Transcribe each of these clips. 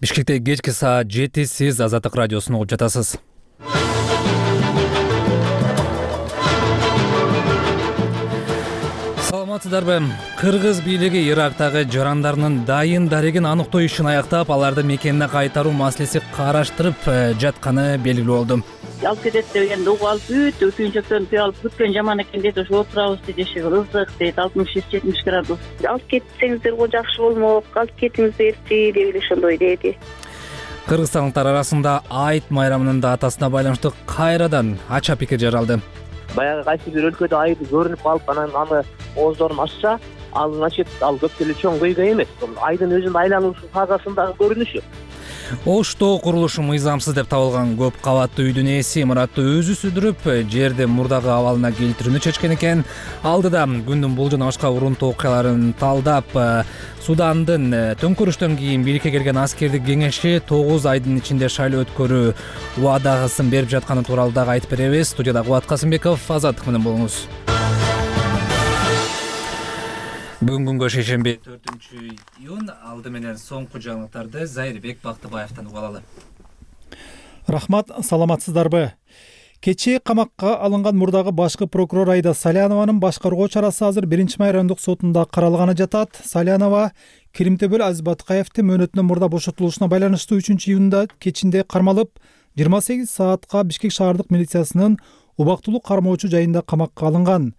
Бишкекте кечки саат 7 сиз Азаттык радиосун угуп жатасыз. Саламатсыздарбы? Кыргыз бийлиги Ирактагы жарандарынын дайын дарегин аныктоо ишин аяктап, аларды мекенине кайтаруу маселеси караштырып жатканы белгилүү болду. Алып кетет дегенде угуп алып бүт күйүнчөктөрүн түйүп алып бүткөн жаман экен дейт. Ошо отурабыз дейт, иши ызык дейт, 60-70 градус. Алып кетсеңиздер го жакшы болмок, алып кетиңиздерчи деп эле ошондой деди. Кыргызстандыктар арасында Айт майрамынын датасына байланыштуу кайрадан ача пикир жаралды. Баягы кайсы бир өлкөдө айды көрүнүп калып, анан аны ооздорун ачса, ал значит ал көп деле чоң көйгөй эмес. Айдын өзүнүн айлануусу фазасындагы көрүнүшү. Оштоо курулушу мыйзамсыз деп табылган көп кабаттуу үйдүн ээси имаратты өзү сүдүрүп, жерди мурдагы абалына келтирүүнү чечкен экен. Алдыда күндүн бул жана башка урунтуу окуяларын талдап, Судандын төңкөрүштөн кийин бийликке келген аскердик кеңеши 9 айдын ичинде шайлоо өткөрүү убадасын берип жатканы тууралуу дагы айтып беребиз. Студияда Кубат Касымбеков, Азаттык менен болуңуз. Бүгүн күнгө шейшемби 4-июнь. Алды менен соңку жаңылыктарды Зайырбек Бактыбаевтан угуп алалы. Рахмат, саламатсыздарбы? Кечээ камакка алынган мурдагы башкы прокурор Айда Салянованын башкаруу чарасы азыр 1-май райондук сотунда каралганы жатат. Салянова Киримтөбөл Азиз Баткаевди мөөнөтүнөн мурда бошотулушуна байланыштуу 3-июнда кечинде кармалып, 28 саатка Бишкек шаардык милициясынын убактылуу кармоочу жайында камакка алынган.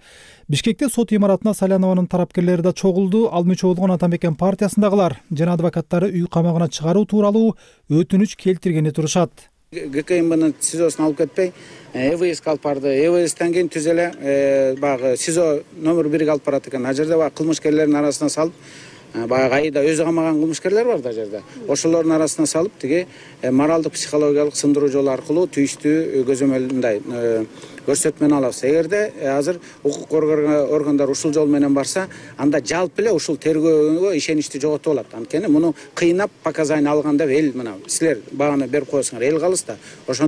Бишкекте сот имаратына Салянованын тарапкерлери да чогулду. Ал мүчө болгон Ата Мекен партиясындагылар жана адвокаттары үй камагына чыгаруу тууралуу өтүнүч келтиргени турушат. ГКМБнын СИЗОсуна алып кетпей, ЭВСке алып барды. ЭВСтен кийин түз эле баягы СИЗО номер 1ге алып барат экен. А жерде баягы кылмышкерлердин арасына салып, баягы айда өзү камаган кылмышкерлер бар да жерде. Ошолордун арасына салып, тиги моралдык психологиялык сындыруу жолу аркылуу тийиштүү көзөмөлмындай көрсөтмөнү алабыз. Эгерде азыр укук органдар ушул жол менен барса, анда жалпы эле ушул тергөөгө ишеничти жоготуп алат. Анткени муну кыйнап показания алган деп эл мына силер баганы берип коесуңар, эл калыс да. Ошон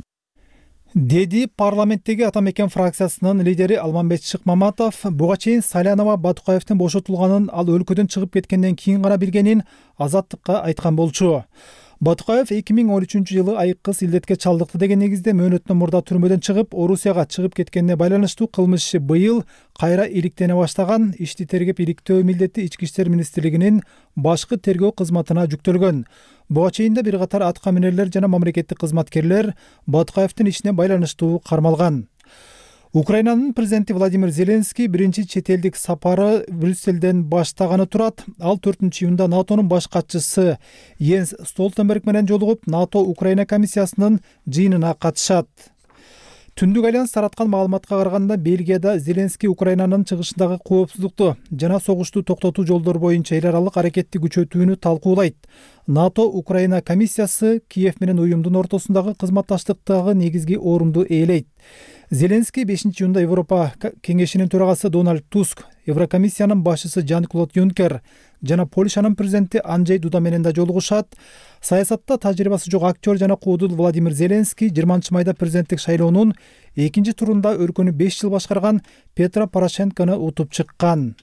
деди парламенттеги Ата Мекен фракциясынын лидери Алмамбет Шыкмаматов. Буга чейин Салянова Батукаевдин бошотулганын ал өлкөдөн чыгып кеткенден кийин гана билгенин Азаттыкка айткан болчу. Батукаев 2013-жылы айыккыс илдетке чалдыкты деген негизде мөөнөтүнөн мурда түрмөдөн чыгып, Орусияга чыгып кеткенине байланыштуу кылмыш быйыл кайра иликтене баштаган. Ишти тергеп иликтөө милдети Ички иштер министрлигинин башкы тергөө кызматына жүктөлгөн. Буга чейин да бир катар атка минерлер жана мамлекеттик кызматкерлер Батукаевдин ишине байланыштуу кармалган. Украинанын президенти Владимир Зеленский биринчи чет элдик сапары Брюсселден баштаганы турат. Ал 4-июнда НАТОнун баш катчысы Йенс Столтенберг менен жолугуп, НАТО Украина комиссиясынын жыйынына катышат. Түндүк альянс тараткан маалыматка караганда, Бельгияда Зеленский Украинанын чыгышындагы коопсуздукту жана согушту токтотуу жолдору боюнча эл аралык аракетти күчөтүүнү талкуулайт. НАТО Украина комиссиясы Киев менен уюмдун ортосундагы кызматташтыктагы негизги орунду ээлейт. Зеленский 5-июнда Европа кеңешинин төрагасы Дональд Туск, Еврокомиссиянын башчысы Жан-Клод Юнкер жана Польшанын президенти Анджей Дуда менен да жолугушат. Саясатта тажрыйбасы жок актер жана куудул Владимир Зеленский 20-майда президенттик шайлоонун экинчи турунда өлкөнү 5 жыл башкарган Петро Порошенкону утуп чыккан.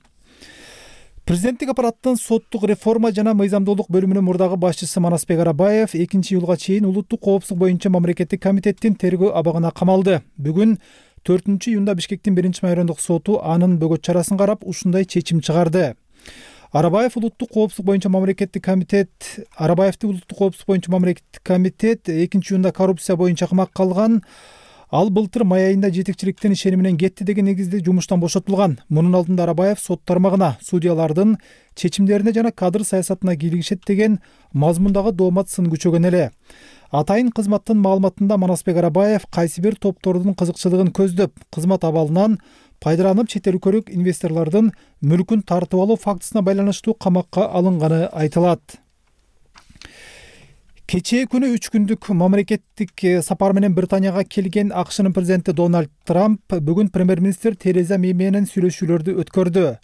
Президенттик аппараттын соттук реформа жана мыйзамдуулук бөлүмүнүн мурдагы башчысы Манасбек Арабаев 2-июлга чейин улуттук коопсуздук боюнча мамлекеттик комитеттин тергөө абагына камалды. Бүгүн 4-июнда Бишкектин 1-май райондук соту анын бөгөт чарасын карап ушундай чечим чыгарды. Арабаевди улуттук коопсуздук боюнча мамлекеттик комитет 2-июнда коррупция боюнча камакка алган. Ал былтыр май айында жетекчиликтин ишени менен кетти деген негизде жумуштан бошотулган. Мунун алдында Арабаев сот тармагына судьялардын чечимдерине жана кадр саясатына кийлигишет деген мазмундагы доомат сын күчөгөн эле. Атайын кызматтын маалыматында Манасбек Арабаев кайсы бир топтордун кызыкчылыгын көздөп, кызмат абалынан пайдаланып чет өлкөлүк инвесторлордун мүлкүн тартып алуу фактысына байланыштуу камакка алынганы айтылат. Кечээ күнү 3 күндүк мамлекеттик сапар менен Британияга келген АКШнын президенти Дональд Трамп бүгүн премьер-министр Тереза Мэй менен сүйлөшүүлөрдү өткөрдү.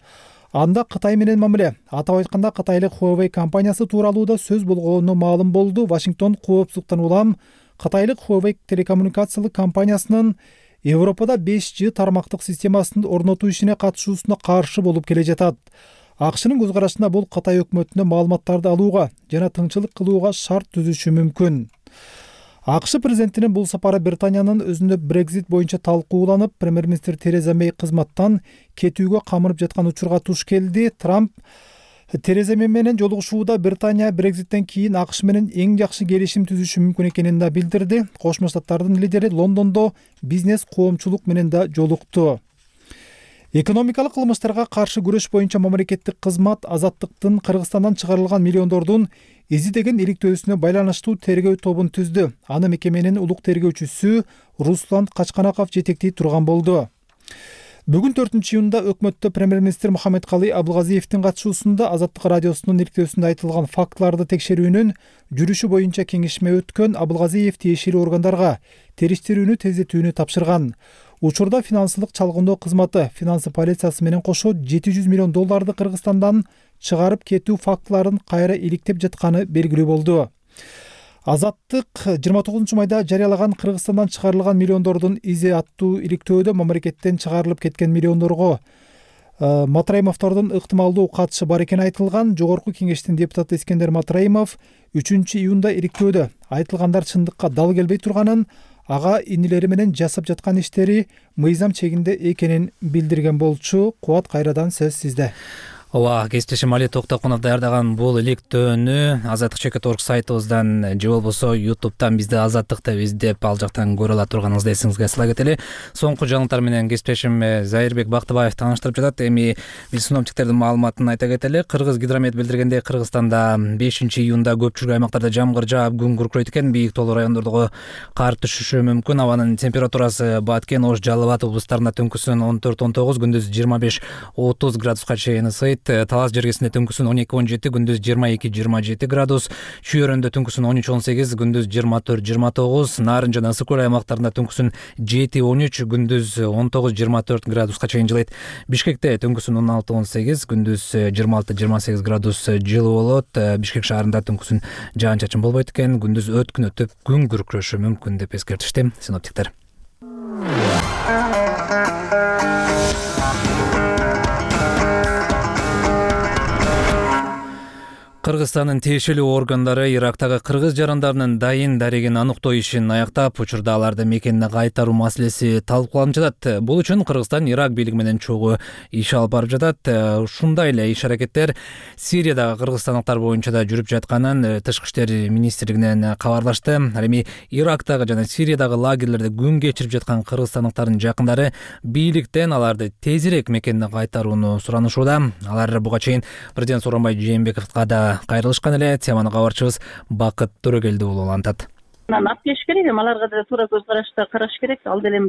Анда Кытай менен мамиле, атап айтканда Кытайлык Huawei компаниясы тууралуу да сөз болгону маалым болду. Вашингтон коопсуздуктан улам Кытайлык Huawei телекоммуникациялык компаниясынын Европада 5G тармактык системасын орнотуу ишине катышуусуна каршы болуп келе жатат. АКШнын көз карашында бул Кытай өкмөтүнө маалыматтарды алууга жана тыңчылык кылууга шарт түзүшү мүмкүн. АКШ президентинин бул сапары Британиянын өзүндө Brexit боюнча талкууланып, премьер-министр Тереза Мэй кызматтан кетүүгө камырып жаткан учурга туш келди. Трамп Тереза Мэй менен жолугушууда Британия Brexиттен кийин АКШ менен эң жакшы келишим түзүшү мүмкүн экенин да билдирди. Кошмо Штаттардын лидери Лондондо бизнес коомчулук менен да жолукту. Экономикалык кылмыштарга каршы күрөш боюнча мамлекеттик кызмат Азаттыктын Кыргызстандан чыгарылган миллиондордун издеген иликтөөсүнө байланыштуу тергөө тобун түздү. Аны мекеменин улук тергөөчүсү Руслан Качканаков жетектей турган болду. Бүгүн 4-июнда өкмөттө премьер-министр Мухаммедкалый Абылгазиевдин катышуусунда Азаттык радиосунун иликтөөсүндө айтылган фактыларды текшерүүнүн жүрүшү боюнча кеңешме өткөн. Абылгазиев тиешелүү органдарга териштирүүнү тездетүүнү тапшырган. Учурда финансылык чалгындоо кызматы финансы полициясы менен кошо $700 миллион Кыргызстандан чыгарып кетүү фактыларын кайра иликтеп жатканы белгилүү болду. Азаттык 29 майда жарыялаган Кыргызстандан чыгарылган миллиондордун изи аттуу иликтөөдө мамлекеттен чыгарылып кеткен миллиондорго Матраимовдордун ыктымалдуу катышы бар экени айтылган. Жогорку кеңештин депутаты Искендер Матраимов 3-июнда иликтөөдө айтылгандар чындыкка дал келбей турганын, ага инилери менен жасап жаткан иштери мыйзам чегинде экенин билдирген болчу. Кубат, кайрадан сөз сизде. Ооба, кесиптешим Али Токтокунов даярдаган бул иликтөөнү Азаттык.org сайтыбыздан же болбосо YouTube'дан бизди Азаттык деп издеп ал жактан көрө ала турганыңызды эсиңизге сала кетели. Соңку жаңылыктар менен кесиптешим Зайырбек Бактыбаев тааныштырып жатат. Эми биз синоптиктердин маалыматын айта кетели. Кыргыз гидромет билдиргендей, Кыргызстанда 5-июнда көпчүлүк аймактарда жамгыр жаап, күн күркүрөйт экен. Бийик тоолуу райондордо кар түшүшү мүмкүн. Абанын температурасы Баткен, Ош, Жалал Абад облустарында түнкүсүн 14-19, күндүз 25-30 градуска чейин ысыйт. Талас жергесинде түнкүсүн 12-17, күндүз 22-27 градус, Чүйөрөндө түнкүсүн 13-18, күндүз 24-29, Нарын жана ысык көл аймактарында түнкүсүн 7-13, күндүз 19-24 градуска чейин жылыйт. Бишкекте түнкүсүн 16-18, күндүз 26-28 градус жылуу болот. Бишкек шаарында түнкүсүн жаан-чачын болбойт экен, күндүз өткүн өтүп, күн күркүрөшү мүмкүн деп эскертишти синоптиктер. Кыргызстандын тиешелүү органдары Ирактагы кыргыз жарандарынын дайын дарегин аныктоо ишин аяктап, учурда аларды мекенине кайтаруу маселеси талкууланып жатат. Бул үчүн Кыргызстан Ирак бийлиги менен чогуу иш алып барып жатат. Ушундай эле иш аракеттер Сириядагы кыргызстандыктар боюнча да жүрүп жатканын Тышкы иштер министрлигинен кабарлашты. Ал эми Ирактагы жана Сириядагы лагерлерде күн кечирип жаткан кыргызстандыктардын жакындары бийликтен аларды тезирээк мекенине кайтарууну суранышууда. Алар буга чейин президент Сооронбай Жээнбековго да кайрылышкан эле. Теманы кабарчыбыз Бакыт Төрөгелди уулу улантат. Алып келиш керек, аларга да туура көз карашта караш керек. Ал деле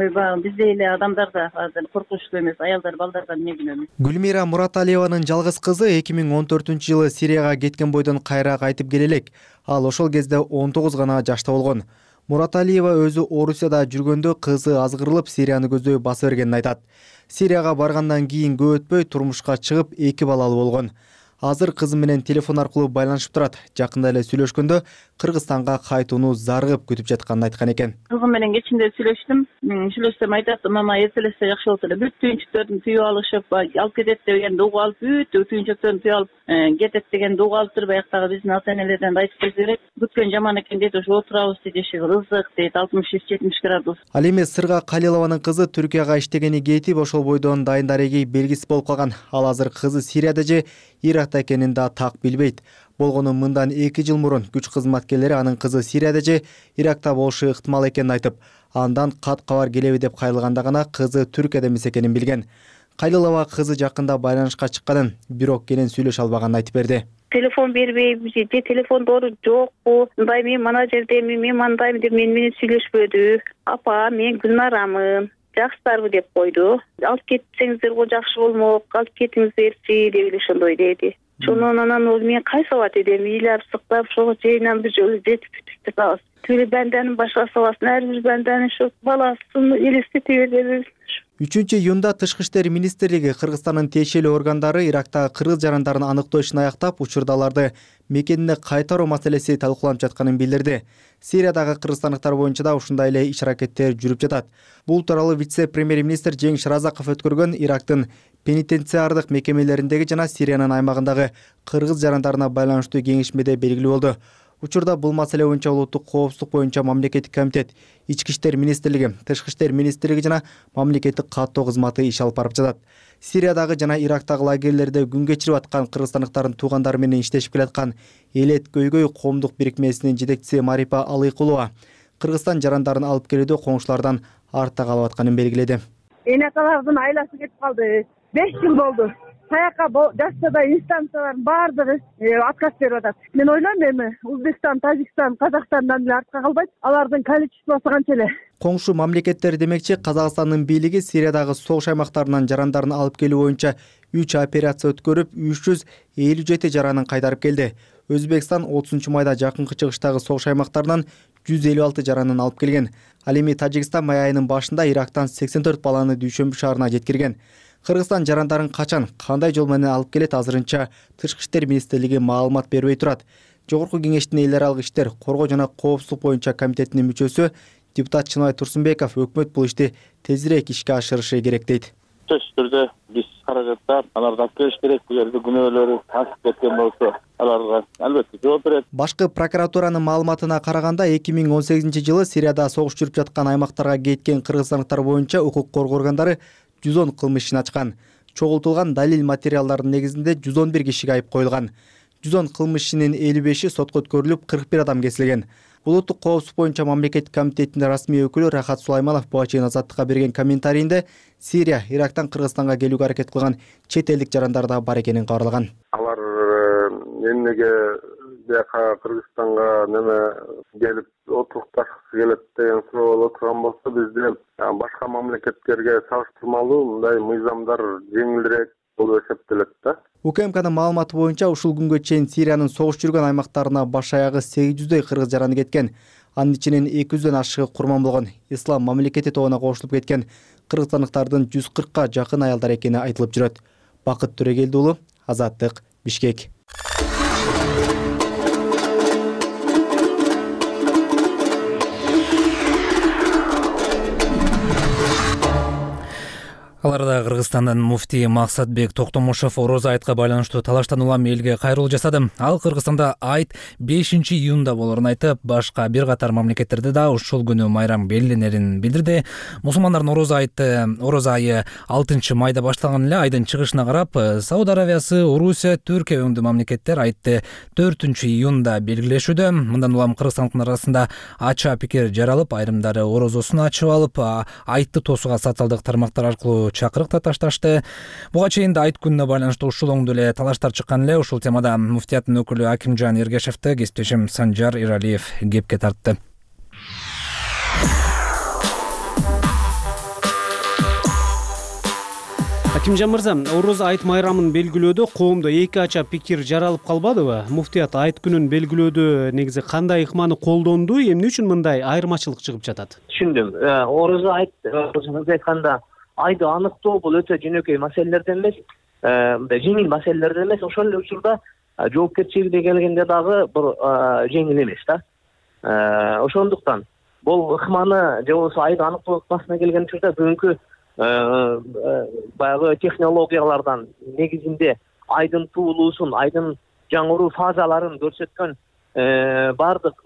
биздей эле адамдар да коркунучтуу эмес, аялдар, балдардан эмне күнөө. Гүлмира Мураталиеванын жалгыз кызы 2014-жылы Сирияга кеткен бойдон кайра кайтып келе элек. Ал ошол кезде 19 гана жашта болгон. Мураталиева өзү Орусияда жүргөндө кызы азгырылып Сирияны көздөй баса бергенин айтат. Сирияга баргандан кийин көп өтпөй турмушка чыгып 2 балалуу болгон. Азыр кызы менен телефон аркылуу байланышып турат. Жакында эле сүйлөшкөндө Кыргызстанга кайтууну зарыгып күтүп жатканын айткан экен. Кызым менен кечинде сүйлөшсөм айтат, мама эртелесе жакшы болот эле. Бүт түйүнчүктөрдү түйүп алышып, алып кетет дегенди угуп алып, бүт түйүнчүктөрдү түйүп алып кетет дегенди угуп алыптыр. Баяктагы биздин ата-энелерден айтып берет. Бүткөн жаман экен дейт, ошо отурабыз дейт, иши ызык дейт, 60-70 градус. Ал эми Сырга Калилованын кызы Түркияга иштегени кетип, ошол бойдон дайын дареги белгисиз болуп калган. Ал азыр кызы Сирияда же Иракта экенин да так билбейт. Болгону мындан 2 жыл мурун күч кызматкерлери анын кызы Сирияда же Иракта болушу ыктымал экенин айтып, андан кат кабар келеби деп кайрылганда гана кызы Түркияда эмес экенин билген. Калилова кызы жакында байланышка чыкканын, бирок кенен сүйлөшө албаганын айтып берди. Телефон бербейби же телефондору жокпу, мындай мен мана жердемин, мен мындаймын деп менен сүйлөшпөдү. Апа, мен Гүлнарамын, жакшысыздарбы деп койду. Алып кетсеңиздер го жакшы болмок, алып кетиңиздерчи деп эле ошондой деди. Шонун анан мен кайсы абат эдем, ыйлап сыктап, ошого жайынан бир жолу жетип бүтүп калабыз. Тили банданын башка саласын, ар бир банданын ушу баласын элестете берди. 3-июнда Тышкы иштер министрлиги Кыргызстандын тиешелүү органдары Ирактагы кыргыз жарандарын аныктоо ишин аяктап, учурда аларды мекенине кайтаруу маселеси талкууланып жатканын билдирди. Сириядагы кыргызстандыктар боюнча да ушундай эле иш аракеттер жүрүп жатат. Бул тууралуу вице-премьер-министр Жеңиш Разаков өткөргөн Ирактын пенитенциардык мекемелериндеги жана Сириянын аймагындагы кыргыз жарандарына байланыштуу кеңешмеде белгилүү болду. Учурда бул маселе боюнча улуттук коопсуздук боюнча мамлекеттик комитет, Ички иштер министрлиги, Тышкы иштер министрлиги жана мамлекеттик каттоо кызматы иш алып барып жатат. Сириядагы жана Ирактагы лагерлерде күн кечирип аткан кыргызстандыктардын туугандары менен иштешип келаткан Элет көйгөй коомдук бирикмесинин жетекчиси Марипа Алыкулова Кыргызстан жарандарын алып келүүдө коңшулардан артта калып атканын белгиледи. Энекалардын айласы кетип калды. 5 жыл болду. Саякка жашта инстанциялардын баардыгы отказ берип атат. Мен ойлойм эми Өзбекстан, Тажикстан, Казакстандан деле артка калбайт. Алардын количествосу канча эле. Коңшу мамлекеттер демекчи, Казакстандын бийлиги Сириядагы согуш аймактарынан жарандарын алып келүү боюнча 3 операция өткөрүп, 357 жаранын кайтарып келди. Өзбекстан 30-майда жакынкы чыгыштагы согуш аймактарынан 156 жаранын алып келген. Ал эми Тажикстан май айынын башында Ирактан 84 баланы Дүйшөмбү шаарына жеткирген. Кыргызстан жарандарын качан, кандай жол менен алып келет азырынча Тышкы иштер министрлиги маалымат бербей турат. Жогорку кеңештин эл аралык иштер, коргоо жана коопсуздук боюнча комитетинин мүчөсү депутат Чыныбай Турсунбеков өкмөт бул ишти тезирээк ишке ашырышы керек дейт. Төш түрдө биз каражаттап, аларды алып келиш керек. Бул жерде күнөөлөрү тасып кеткен болсо, аларга албетте жооп берет. Башкы прокуратуранын маалыматына караганда 2018-жылы Сирияда согуш жүрүп жаткан аймактарга кеткен кыргызстандыктар боюнча укук коргоо органдары 110 кылмыш ишин ачкан. Чогултулган далил материалдардын негизинде 111 кишиге айып коюлган. 110 кылмыш ишинин 55-и сотко өткөрүлүп, 41 адам кесилген. Улуттук коопсуздук боюнча мамлекеттик комитетинин расмий өкүлү Рахат Сулайманов буга чейин Азаттыкка берген комментарийинде Сирия, Ирактан Кыргызстанга келүүгө аракет кылган чет элдик жарандар да бар экенин кабарлаган. Алар эмнеге бияка Кыргызстанга келип отурукташкысы келет деген суроо болуп турган болсо, бизде башка мамлекеттерге салыштырмалуу мындай мыйзамдар жеңилирээк болуп эсептелет да. УКМКнын маалыматы боюнча ушул күнгө чейин Сириянын согуш жүргөн аймактарына баш аягы 800дөй кыргыз жараны кеткен. Анын ичинен 200дөн ашыгы курман болгон. Ислам мамлекети тобуна кошулуп кеткен кыргызстандыктардын 140ка жакын аялдар экени айтылып жүрөт. Бакыт Төрөгелди уулу, Азаттык, Бишкек. Аларда Кыргызстандын муфтии Максатбек Токтомушев орозо айтка байланыштуу талаштан улам элге кайрылуу жасады. Ал Кыргызстанда айт 5-июнда болорун айтып, башка бир катар мамлекеттерде да ушул күнү майрам белгиленерин билдирди. Мусулмандардын орозо айы 6-майда башталган эле. Айдын чыгышына карап, Сауд Аравиясы, Орусия, Түркия өңдүү мамлекеттер айтты 4-июнда белгилешүүдө. Мындан улам кыргызстандыктар арасында ача пикир жаралып, айрымдары орозосун ачып алып, айтты тосууга социалдык тармактар аркылуу чакырык да ташташты. Буга чейин да айт күнүнө байланыштуу ушул оңдуу эле талаштар чыккан эле. Ушул темада муфтияттын өкүлү Акимжан Эргешевди кесиптешим Санжар Иралиев кепке тартты. Акимжан мырза, орозо айт майрамын белгилөөдө коомдо эки ача пикир жаралып калбадыбы? Муфтият айт күнүн белгилөөдө негизи кандай ыкманы колдонду, эмне үчүн мындай айырмачылык чыгып жатат? Түшүндүм. Орозо айтканда айды аныктоо бул өтө жөнөкөй маселелерден эмес, жеңил маселелерден эмес, ошол эле учурда жоопкерчилигине келгенде дагы бир жеңил эмес да. Ошондуктан бул ыкманы же болбосо айды аныктоо ыкмасына келген учурда бүгүнкү баягы технологиялардан негизинде айдын туулуусун, айдын жаңыруу фазаларын көрсөткөн баардык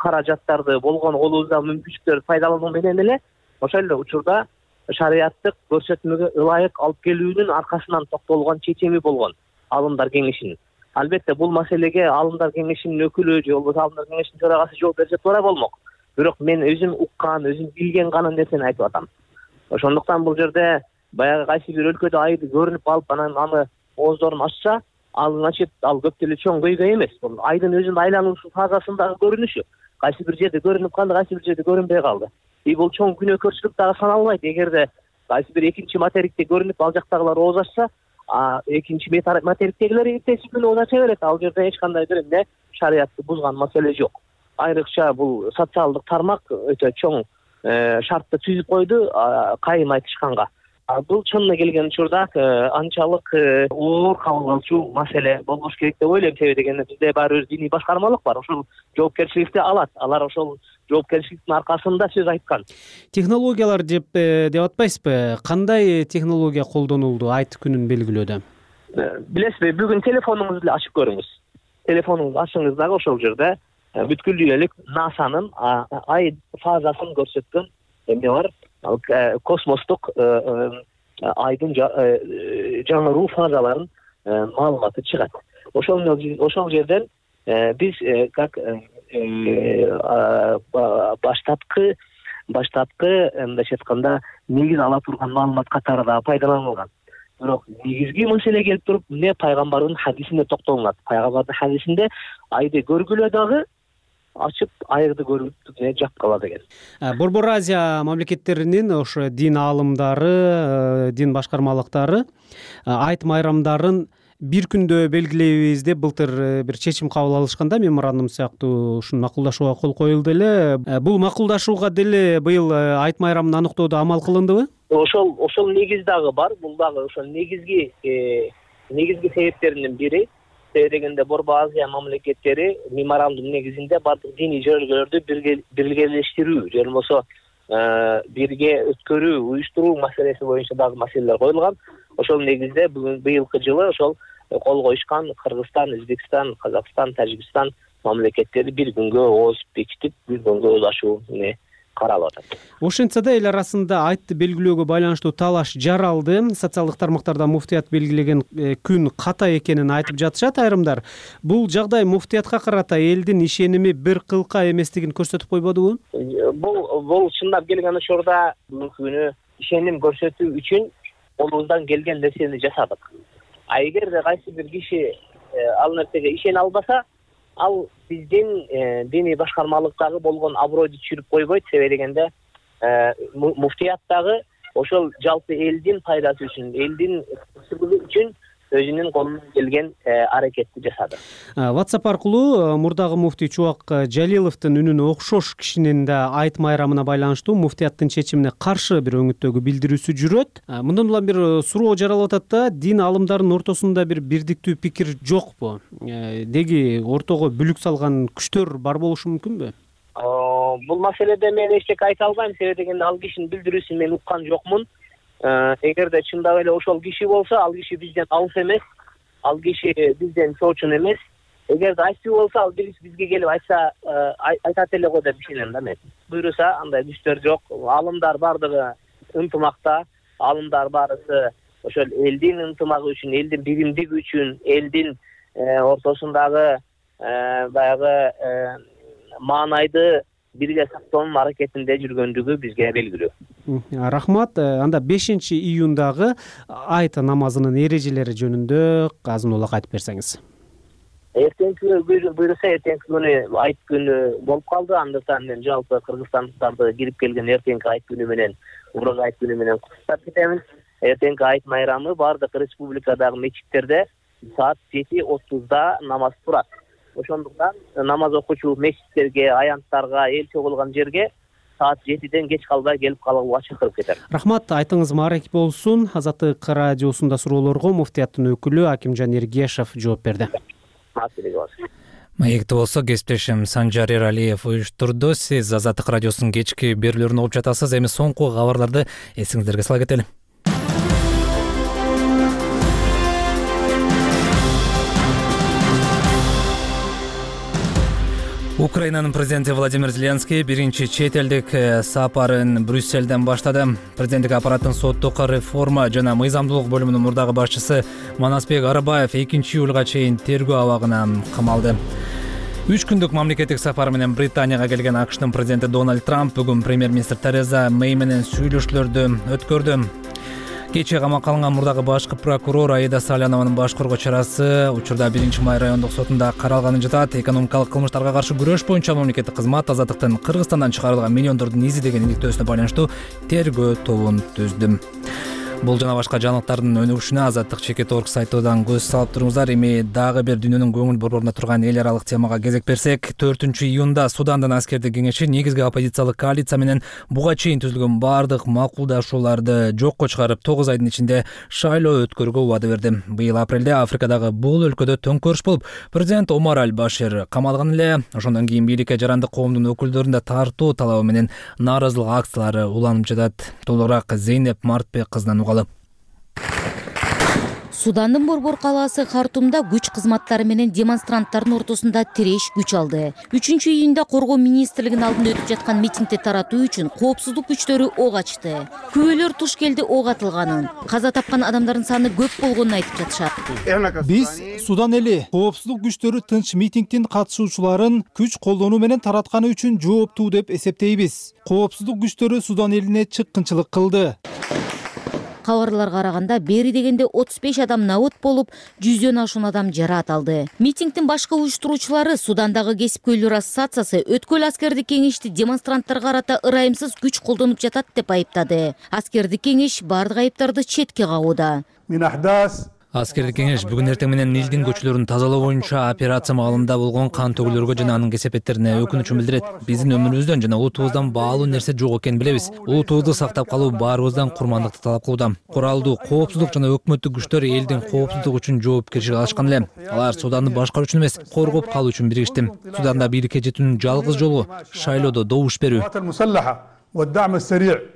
каражаттарды болгон колубузда мүмкүнчүлүктөрдү пайдалануу менен эле ошол эле учурда шариаттык көрсөтмөгө ылайык алып келүүнүн аркасынан токтолгон чечими болгон Алымдар кеңешинин. Албетте бул маселеге Алымдар кеңешинин өкүлү же болбосо Алымдар кеңешинин төрагасы жооп берсе туура болмок. Бирок мен өзүм уккан, өзүм билген гана нерсени айтып атам. Ошондуктан бул жерде баягы кайсы бир өлкөдө айды көрүнүп калып, анан аны ооздорун ачса, ал значит ал көп деле чоң көйгөй эмес. Бул айдын өзүнүн айлануусу фазасындагы көрүнүшү. Кайсы бир жерде көрүнүп калды, кайсы бир жерде көрүнбөй калды. Бул чоң күнөөкөрчүлүк дагы саналбайт. Эгерде кайсы бир экинчи материкте көрүнүп, ал жактагылар ооз ачса, экинчи материктегилер эртеси күнү ооз ача берет. Ал жерде эч кандай бир эмне шариятты бузган маселе жок. Айрыкча бул социалдык тармак өтө чоң шартты түзүп койду кайым айтышканга. Бул чынына келген учурда анчалык оор кабыл алчу маселе болбош керек деп ойлойм. Себеби дегенде бизде баары бир диний башкармалык бар. Ошол жоопкерчиликти алат. Алар ошол жоопкерчиликтин аркасында сөз айткан. Технологиялар деп атпайсызбы? Кандай технология колдонулду айт күнүн белгилөөдө? Билесизби, бүгүн телефонуңузду эле ачып көрүңүз. Телефонуңузду ачыңыз дагы ошол жерде бүткүл дүйнөлүк НАСАнын ай фазасын көрсөткөн эмне бар? Космостук айдын жаңыруу фазаларын маалыматы чыгат. Ошол жерден биз как баштапкы мындайча айтканда негиз ала турган маалымат катары да пайдаланылган. Бирок негизги маселе келип туруп эмне пайгамбардын хадисинде токтолунат. Пайгамбардын хадисинде айды көргүлө дагы ачып айырды көрүп жапкала деген. Борбор Азия мамлекеттеринин ошо дин аалымдары, дин башкармалыктары айт майрамдарын бир күндө белгилейбиз деп былтыр бир чечим кабыл алышканда, меморандум сыяктуу ушуну макулдашууга кол коюлду эле. Бул макулдашууга деле быйыл айт майрамын аныктоодо амал кылындыбы? Ошол негиз дагы бар. Бул дагы ошол негизги себептеринин бири. Дегенде Борбор Азия мамлекеттери меморандум негизинде бардык диний жөргөлөрдү биргелештирүү же болбосо бирге өткөрүү, уюштуруу маселеси боюнча дагы маселелер коюлган. Ошол негизде бүгүн быйылкы жылы ошол кол коюшкан Кыргызстан, Өзбекстан, Казакстан, Тажикстан мамлекеттери бир күнгө ооз бекитип, бир күнгө уулашуу каралып атат. Ошентсе да эл арасында айтты белгилөөгө байланыштуу талаш жаралды. Социалдык тармактарда муфтият белгилеген күн ката экенин айтып жатышат айрымдар. Бул жагдай муфтиятка карата элдин ишеними бир кылка эместигин көрсөтүп койбодубу? Бул чындап келген учурда бүгүнкү күнү ишеним көрсөтүү үчүн колубуздан келген нерсени жасадык. Эгерде кайсы бир киши ал нерсеге ишене албаса, ал биздин диний башкармалыктагы болгон абройду түшүрүп койбойт. Себеби дегенде муфтияттагы ошол жалпы элдин пайдасы үчүн, элдин көпчүлүгү үчүн өзүнүн колунан келген аракетти жасады. WhatsApp аркылуу мурдагы муфтий Чубак Жалиловдун үнүнө окшош кишинин да айт майрамына байланыштуу муфтияттын чечимине каршы бир өңүттөгү билдирүүсү жүрөт. Мындан улам бир суроо жаралып атат да, дин аалымдарынын ортосунда бир бирдиктүү пикир жокпу? Деги ортого бүлүк салган күчтөр бар болушу мүмкүнбү? Бул маселеде мен эчтеке айта албайм. Себеби дегенде ал кишинин билдирүүсүн мен уккан жокмун. Эгерде чындап эле ошол киши болсо, ал киши бизден алыс эмес, ал киши бизден чоочун эмес. Эгерде айтчу болсо, ал бизге келип айтса, айтат эле го деп ишенем да мен. Буйруса андай күчтөр жок. Аалымдар бардыгы ынтымакта, аалымдар баарысы ошол элдин ынтымагы үчүн, элдин биримдиги үчүн, элдин ортосундагы баягы маанайды бирге сактоонун аракетинде жүргөндүгү бизге белгилүү. Рахмат. Анда 5-июндагы айт намазынын эрежелери жөнүндө азын улак айтып берсеңиз. Эртеңки буйруса эртеңки күнү айт күнү болуп калды. Андыктан мен жалпы кыргызстандыктарды кирип келген эртеңки айт күнү менен, урак айт күнү менен куттуктап кетемин. Эртеңки айт майрамы бардык республикадагы мечиттерде саат 7:30 намаз турат. Ошондуктан намаз окуучу мечиттерге, аянттарга, эл чогулган жерге саат 7-ден кеч калбай келип калууга чакырып кетем. Рахмат, айтыңыз маарек болсун. Азаттык радиосунда суроолорго муфтияттын өкүлү Акимжан Эргешев жооп берди. Маекти болсо кесиптешим Санжар Эралиев уюштурду. Сиз Азаттык радиосунун кечки берүүлөрүн угуп жатасыз. Эми соңку кабарларды эсиңиздерге сала кетели. Украинанын президенти Владимир Зеленский биринчи чет элдик сапарын Брюсселден баштады. Президенттик аппараттын соттук реформа жана мыйзамдуулук бөлүмүнүн мурдагы башчысы Манасбек Арабаев 2-июлга чейин тергөө абагына камалды. 3 күндүк мамлекеттик сапар менен Британияга келген АКШтын президенти Дональд Трамп бүгүн премьер-министр Тереза Мэй менен сүйлөшүүлөрдү өткөрдү. Кечээ камакка алынган мурдагы башкы прокурор Аида Салянованын баш коргоо чарасы учурда 1-Май райондук сотунда каралганын жатат. Экономикалык кылмыштарга каршы күрөш боюнча мамлекеттик кызмат азаттыктын Кыргызстандан чыгарылган миллиондордун изи деген иликтөөсүнө байланыштуу тергөө тобун түздү. Бул жана башка жаңылыктардын өнүгүшүнө Азаттык чекит орг сайтынан көз салып туруңуздар. Эми дагы бир дүйнөнүн көңүл борборуна турган эл аралык темага кезек берсек, 4-июнда Судандын аскердик кеңеши негизги оппозициялык коалиция менен буга чейин түзүлгөн бардык макулдашууларды жокко чыгарып, 9 айдын ичинде шайлоо өткөрүүгө убада берди. Быйыл апрелде Африкадагы бул өлкөдө төңкөрүш болуп, президент Омар Аль-Башир камалган эле. Ошондон кийин бийликке жарандык коомдун өкүлдөрүн да тартуу талабы менен нааразылык акциялары уланып жатат. Толугураак Зейнеп Мартбек кызынан угалы. Судандын борбор калаасы Хартумда күч кызматтары менен демонстранттардын ортосунда тиреш күч алды. 3-июнда коргоо министрлигинин алдында өтүп жаткан митингди таратуу үчүн коопсуздук күчтөрү ок ачты. Күбөлөр туш келди ок атылганын, каза тапкан адамдардын саны көп болгонун айтып жатышат. Биз Судан эли коопсуздук күчтөрү тынч митингдин катышуучуларын күч колдонуу менен таратканы үчүн жооптуу деп эсептейбиз. Коопсуздук күчтөрү Судан элине чыккынчылык кылды. Кабарларга караганда бери дегенде 35 адам набыт болуп, 100дөн ашуун адам жараат алды. Митингдин башкы уюштуруучулары Судандагы кесипкөйлөр ассоциациясы өткөл аскердик кеңешти демонстранттарга карата ырайымсыз күч колдонуп жатат деп айыптады. Аскердик кеңеш бардык айыптарды четке кагууда. Аскердик кеңеш бүгүн эртең менен Нилдин көчөлөрүн тазалоо боюнча операция маалында болгон кан төгүлөргө жана анын кесепеттерине өкүнүчүн билдирет. Биздин өмүрүбүздөн жана улутубуздан баалуу нерсе жок экенин билебиз. Улутубузду сактап калуу баарыбыздан курмандыкты талап кылууда. Куралдуу, коопсуздук жана өкмөттүк күчтөр элдин коопсуздугу үчүн жоопкерчилик алышкан эле. Алар Суданды башкаруу үчүн эмес, коргоп калуу үчүн биригишти. Суданда бийликке жетүүнүн жалгыз жолу шайлоодо добуш берүү.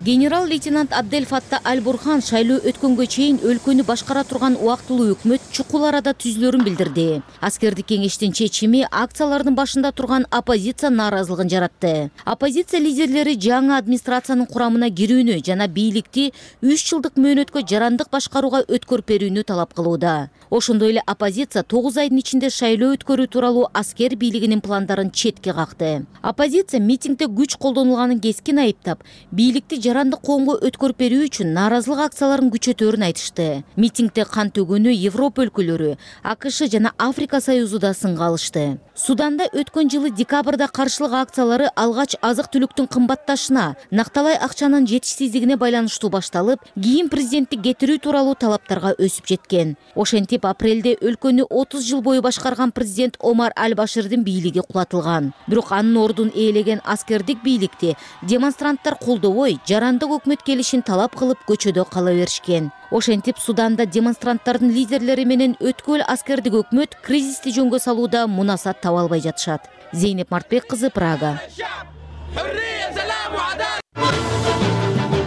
Генерал-лейтенант Абдель Фатта Аль-Бурхан шайлоо өткөнгө чейин өлкөнү башкара турган убактылуу өкмөт чукул арада түзүлөрүн билдирди. Аскердик кеңештин чечими акциялардын башында турган оппозиция нааразылыгын жаратты. Оппозиция лидерлери жаңы администрациянын курамына кирүүнү жана бийликти 3 жылдык мөөнөткө жарандык башкарууга өткөрүп берүүнү талап кылууда. Ошондой эле оппозиция 9 айдын ичинде шайлоо өткөрүү тууралуу аскер бийлигинин пландарын четке какты. Оппозиция митингде күч колдонулганын кескин айыптап, бийликти жарандык коомго өткөрүп берүү үчүн нааразылык акцияларын күчөтөөрүн айтышты. Митингде кан төгүүнү Европа өлкөлөрү, АКШ жана Африка Союзу да сынга алышты. Суданда өткөн жылы декабрда каршылык акциялары алгач азык-түлүктүн кымбатташына, накталай акчанын жетишсиздигине байланыштуу башталып, кийин президентти кетирүү тууралуу талаптарга өсүп жеткен. Ошентип апрелде өлкөнү 30 жыл бою башкарган президент Омар Аль-Баширдин бийлиги кулатылган. Бирок анын ордун ээлеген аскердик бийликти демонстранттар колдобой, жарандык өкмөт келишин талап кылып көчөдө кала беришкен. Ошентип Суданда демонстранттардын лидерлери менен өткөл аскердик өкмөт кризисти жөнгө салууда мунасат таба албай жатышат. Зейнеп Мартбек кызы, Прага.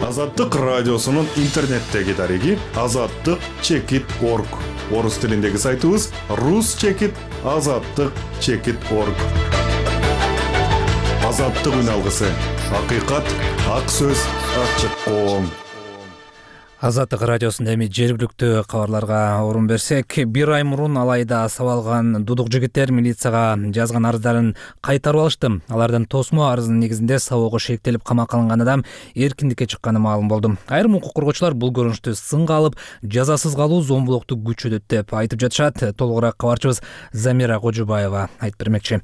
Азаттык радиосунун интернеттеги дареги azattik.org. Орус тилиндеги сайтыбыз rus.azattik.org. Азаттык үн алгысы. Акыйкат, ак сөз, ачык коом. Азаттык радиосунда эми жергиликтүү кабарларга орун берсек, бир ай мурун Алайда сабап алган дудук жигиттер милицияга жазган арыздарын кайтарып алышты. Алардын тосмо арызынын негизинде сабоого шектелип камакка алынган адам эркиндикке чыкканы маалым болду. Айрым укук коргоочулар бул көрүнүштү сынга алып, жазасыз калуу зомбулукту күчөтөт деп айтып жатышат. Толугураак кабарчыбыз Замира Кожубаева айтып бермекчи.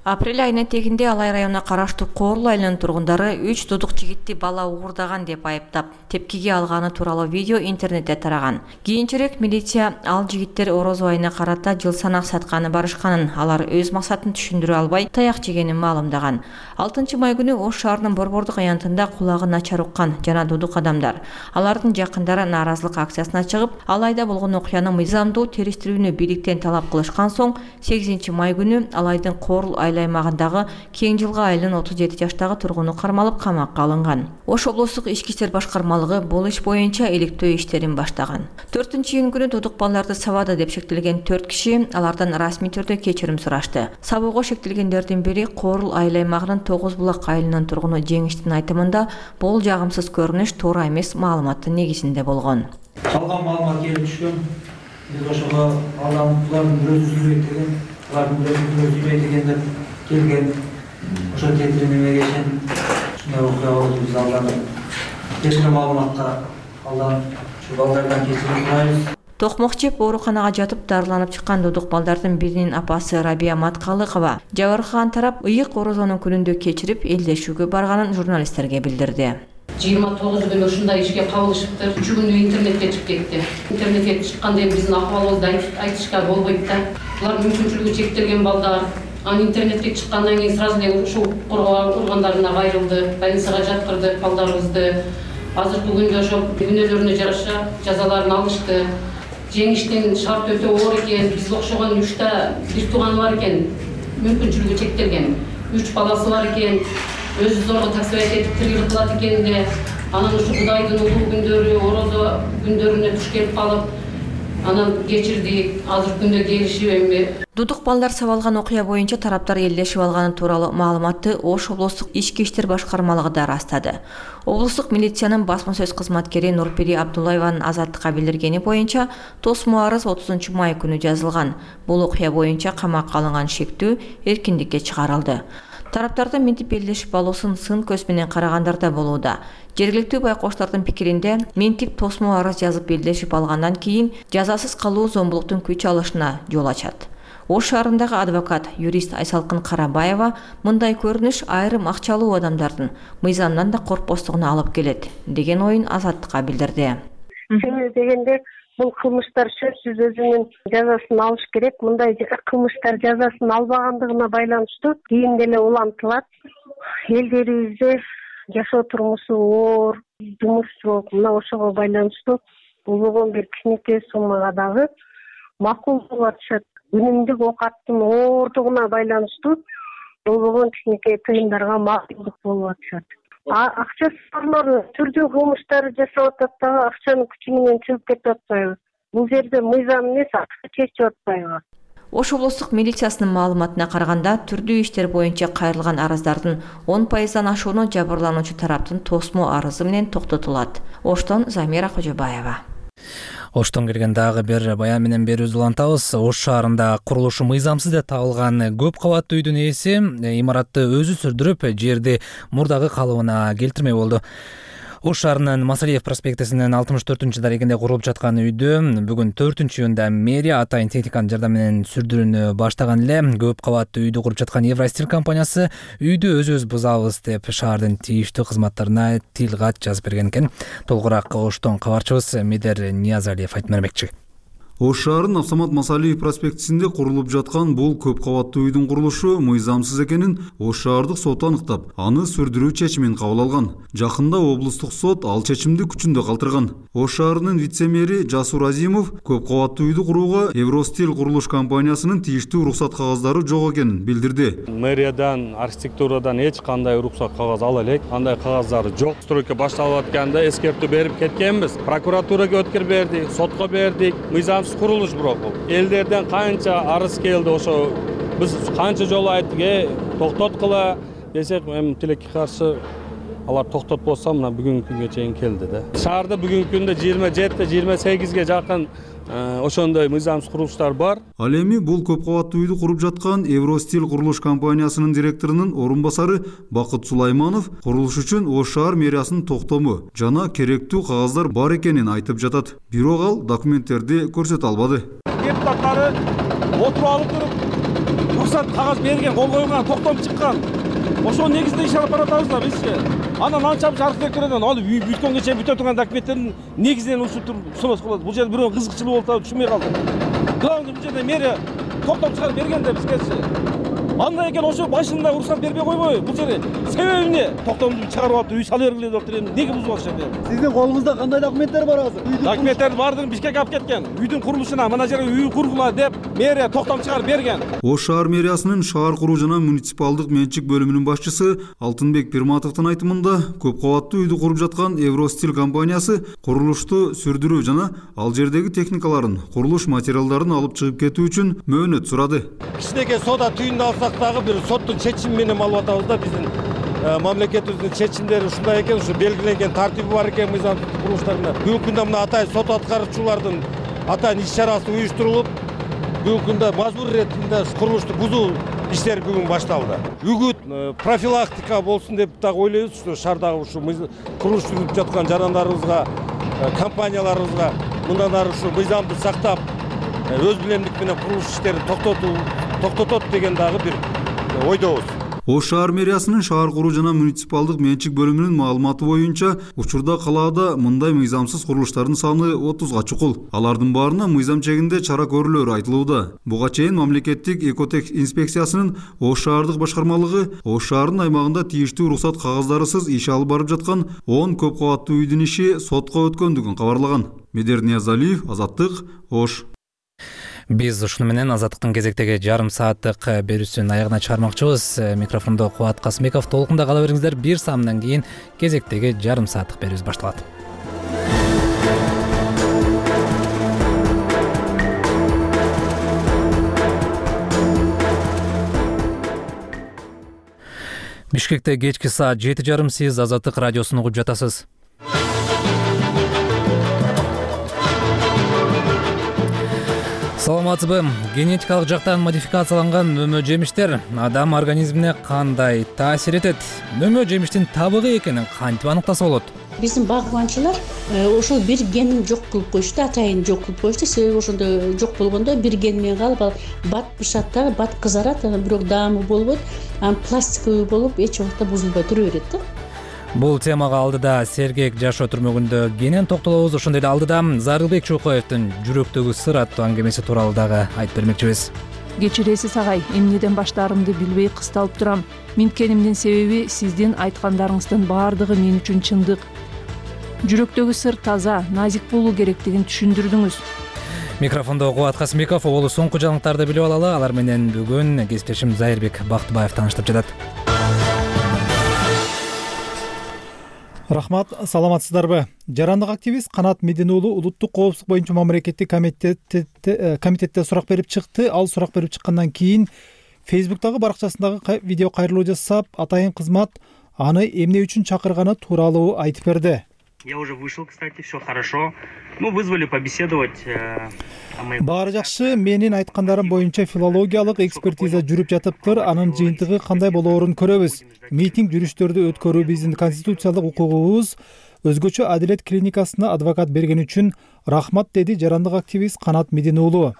Апрель айынын тегинде Алай районуна караштуу Коорлу айылынын тургундары 3 дудук жигитти бала угурдаган деп айыптап, тепкиге алганы тууралуу видео интернетте тараган. Кийинчерээк милиция ал жигиттер орозо айына карата жыл санак сатканы барышканын, алар өз максатын түшүндүрө албай таяк жегенин маалымдаган. 6 май күнү Ош шаарынын борбордук аянтында кулагы начар уккан жана дудук адамдар, алардын жакындары нааразылык акциясына чыгып, Алайда болгон окуяны мыйзамдуу териштирүүнү бийликтен талап кылышкан соң, 8 май күнү Алайдын Коорлу аймагындагы Кең жылга айылынын 37 жаштагы тургуну кармалып камакка алынган. Ош облустук ички иштер башкармалыгы бул иш боюнча иликтөө иштерин баштаган. 4-июнь күнү дудук балдарды сабады деп шектелген 4 киши алардан расмий түрдө кечирим сурашты. Сабоого шектелгендердин бири Коорлу айыл аймагынын 9 булак айылынын тургуну Жеңиштин айтымында бул жагымсыз көрүнүш туура эмес маалыматтын негизинде болгон. Калган маалымат келип түшкөн. Биз ошого балдардын бирөөсү сүйлөйт деген, алардын бирөөсү сүйлөйт деген деп келген. Ошо кетиримге кешен ушундай окуя болду. Биз алардан кечирим маалыматка алдан ушу балдардан кечирим сурайбыз. Токмок жеп ооруканага жатып дарыланып чыккан дудук балдардын биринин апасы Рабия Маткалыкова жабыркаган тарап ыйык орозонун күнүндө кечирип элдешүүгө барганын журналисттерге билдирди. 29 күнү ушундай ишке кабылышыптыр. 3 күндө интернетке чыгып кетти. Интернетке чыкканда эми биздин акыбалыбызды айтышка болбойт да. Булар мүмкүнчүлүгү чектелген балдар. Анан интернетке чыккандан кийин сразу эле ушул коргоо органдарына кайрылды, больницага жаткырды балдарыбызды. Азыркы күндө ошо күнөөлөрүнө жараша жазаларын алышты. Жеңиштин шарты өтө оор экен. Бизге окшогон 3 бир тууганы бар экен. Мүмкүнчүлүгү чектелген. 3 баласы бар экен. Өзү зорго таксибайт этип тиргелик кылат экен да. Анан ушу Кудайдын улуу күндөрү, орозо күндөрүнө туш келип калып, анан кечирди. Азыркы күндө келишип эми Дудук балдар сабалган окуя боюнча тараптар элдешип алганы тууралуу маалыматты Ош облустук ички иштер башкармалыгы да ырастады. Облустук милициянын басма сөз кызматкери Нурпери Абдуллаеванын Азаттыкка билдиргени боюнча тосмо арыз 30 май күнү жазылган. Бул окуя боюнча камакка алынган шектүү эркиндикке чыгарылды. Тараптардын мынтип элдешип алуусун сын көз менен карагандар болууда. Жергиликтүү байкоштардын пикиринде мынтип тосмо арыз жазып элдешип алгандан кийин жазасыз калуу зомбулуктун күч алышына жол ачат. Ош шаарындагы адвокат, юрист Айсалкын Карабаева мындай көрүнүш айрым акчалуу адамдардын мыйзамдан да коркпостугуна алып келет деген оюн Азаттыкка билдирди. Себеби дегенде бул кылмыштар сөзсүз өзүнүн жазасын алыш керек. Мындай кылмыштар жазасын албагандыгына байланыштуу кийин деле улантылат. Элдерибизде жашоо турмушу оор, жумуш жок. Мына ошого байланыштуу болгон бир кичинекей суммага дагы макул болуп атышат. Үнүмдүк оокаттын оордугуна байланыштуу болгон кичинекей тыйындарга макулдук болуп атышат. Акча сорлору түрдүү кылмыштар жасап атат дагы акчанын күчү менен чыгып кетип атпайбы? Бул жерде мыйзам эмес, акча чечип атпайбы? Ош облустук милициясынын маалыматына караганда түрдүү иштер боюнча кайрылган арыздардын 10%дан ашууну жабырлануучу тараптын тосмо арызы менен токтотулат. Оштон Замира Кожобаева. Оштон келген дагы бир баян менен берүүбүздү улантабыз. Ош шаарында курулушу мыйзамсыз деп табылган көп кабаттуу үйдүн ээси имаратты өзү сүрдүрүп, жерди мурдагы калыбына келтирмей болду. Ош шаарынын Масалиев проспектисинин 64-дарегинде курулуп жаткан үйдү бүгүн 4-июнда мэрия атайын техниканын жардамы менен сүрдүрүүнү баштаган эле. Көп кабаттуу үйдү куруп жаткан Евростиль компаниясы үйдү өзүбүз бузабыз деп шаардын тийиштүү кызматтарына тил кат жазып берген экен. Толугураак Оштон кабарчыбыз Медер Ниязалиев айтып бермекчи. Ош шаарынын Автомат Масалиев проспектисинде курулуп жаткан бул көп кабаттуу үйдүн курулушу мыйзамсыз экенин Ош шаардык сот аныктап, аны сүрдүрүү чечимин кабыл алган. Жакында облустук сот ал чечимди күчүндө калтырган. Ош шаарынын вице-мэри Жасур Азимов көп кабаттуу үйдү курууга Евростиль курулуш компаниясынын тийиштүү уруксат кагаздары жок экенин билдирди. Мэриядан, архитектурадан эч кандай уруксат кагаз ала элек, андай кагаздары жок. Стройка башталып атканда эскертүү берип кеткенбиз. Прокуратурага өткөр бердик, сотко бердик. Курулуш бирок элдерден канча арыз келди, ошо биз канча жолу айттык, токтоткула десек, эми тилекке каршы алар токтотпосо мына бүгүнкү күнгө чейин келди да. Шаарда бүгүнкү күндө 27-28ге жакын ошондой мыйзамсыз курулуштар бар. Ал эми бул көп кабаттуу үйдү куруп жаткан Евростиль курулуш компаниясынын директорунун орун басары Бакыт Сулайманов курулуш үчүн Ош шаар мэриясынын токтому жана керектүү кагаздар бар экенин айтып жатат. Бирок ал документтерди көрсөтө албады. Депутаттары отуруп алып туруп уруксат кагаз берген, кол койгон, токтом чыккан. Ошол негизинде иш алып баратабыз да бизчи. Анан анчалык архитектурадан алып үй бүткөнгө чейин бүтө турган документтердин негизинен ушинтип сунос кылат. Бул жерде бирөө кызыкчылык болуп атабы түшүнбөй калдым. Главный бул жерде мэрия токтом чыгарып берген да бизгечи. Андай экен ошо башында уруксат бербей койбой. Бул жерде себеби эмне? Токтомду чыгарып алып үй сала бергиле деп туруп эмне бузуп атышат эми? Сиздин колуңузда кандай документтер бар азыр? Документтер бардыгын Бишкекке алып кеткен. Үйдүн курулушуна мына жерге үй кургула деп мэрия токтом чыгарып берген. Ош шаар мэриясынын шаар куруу жана муниципалдык менчик бөлүмүнүн башчысы Алтынбек Пирматовдун айтымында көп кабаттуу үйдү куруп жаткан Евростиль компаниясы курулушту сүрдүрүү жана ал жердеги техникаларын, курулуш материалдарын алып чыгып кетүү үчүн мөөнөт сурады. Кичинекей соода түйүндү алсак дагы бир соттун чечими менен алып атабыз да. Биздин мамлекетибиздин чечимдери ушундай экен, ушу белгиленген тартиби бар экен мыйзамсыз курулуштарда. Бүгүнкү күндө мына атайын сот аткаруучулардын атайын иш чарасы уюштурулуп, бүгүнкү күндө мажбур иретинде курулушту бузуу иштери бүгүн башталды. Үгүт, профилактика болсун деп дагы ойлойбуз. Ушу шаардагы ушу курулуш жүргүзүп жаткан жарандарыбызга, компанияларыбызга мындан ары ушу мыйзамды сактап, өз билемдик менен курулуш иштерин токтотот деген дагы бир ойдобуз. Ош шаар мэриясынын шаар куруу жана муниципалдык менчик бөлүмүнүн маалыматы боюнча, учурда калаада мындай мыйзамсыз курулуштардын саны 30га чукул. Алардын баарына мыйзам чегинде чара көрүүлөр айтылууда. Буга чейин мамлекеттик экотек инспекциясынын Ош шаардык башкармалыгы Ош шаарынын аймагында тийиштүү уруксат кагаздарысыз иш алып барып жаткан 10 көп кабаттуу үйдүн иши сотко өткөндүгүн кабарлаган. Медер Ниязалиев, Азаттык, Ош. Биз ушуну менен Азаттыктын кезектеги жарым сааттык берүүсүн аягына чыгармакчыбыз. Микрофондо Кубат Касымбеков. Толкунда кала бериңиздер. Бир саамдан кийин кезектеги жарым сааттык берүүбүз башталат. Бишкекте кечки саат 7:30 сиз Азаттык радиосун угуп жатасыз. Саламатсызбы? Генетикалык жактан модификацияланган мөмө жемиштер адам организмине кандай таасир этет? Мөмө жемиштин табыгы экенин кантип аныктаса болот? Биздин багыбанчылар ошол бир генин жок кылып коюшту, атайын жок кылып коюшту. Себеби ошондо жок болгондо бир ген менен калып, ал бат бышат да, бат кызарат, бирок даамы болбойт. Анан пластиковый болуп эч убакта бузулбай тура берет да. Бул темага алдыда Сергек жашоо түрмөгүндө кенен токтолобуз. Ошондой эле алдыда Зарылбек Чукоевдин жүрөктөгү сыр аттуу аңгемеси тууралуу дагы айтып бермекчибиз. Кечиресиз агай, эмнеден баштаарымды билбей кысталып турам. Минткенимдин себеби сиздин айткандарыңыздын баардыгы мен үчүн чындык. Жүрөктөгү сыр таза, назик болуу керектигин түшүндүрдүңүз. Микрофондо Кубат Касымбеков. Олу соңку жаңылыктарды билип алалы. Алар менен бүгүн кесиптешим Зайырбек Бактыбаев тааныштырып жатат. Рахмат, саламатсыздарбы? Жарандык активист Канат Медин уулу улуттук коопсуздук боюнча мамлекеттик комитетте сурак берип чыкты. Ал сурак берип чыккандан кийин Фейсбуктагы баракчасындагы видео кайрылуу жасап, атайын кызмат аны эмне үчүн чакырганы тууралуу айтып берди. Я уже вышел, кстати, все хорошо. Мы вызвали побеседовать. Баары жакшы, менин айткандарым боюнча филологиялык экспертиза жүрүп жатыптыр. Анын жыйынтыгы кандай болоорун көрөбүз. Митинг жүрүштөрдү өткөрүү биздин конституциялык укугубуз. Өзгөчө Адилет клиникасына адвокат берген үчүн рахмат, деди жарандык активист Канат Медин уулу.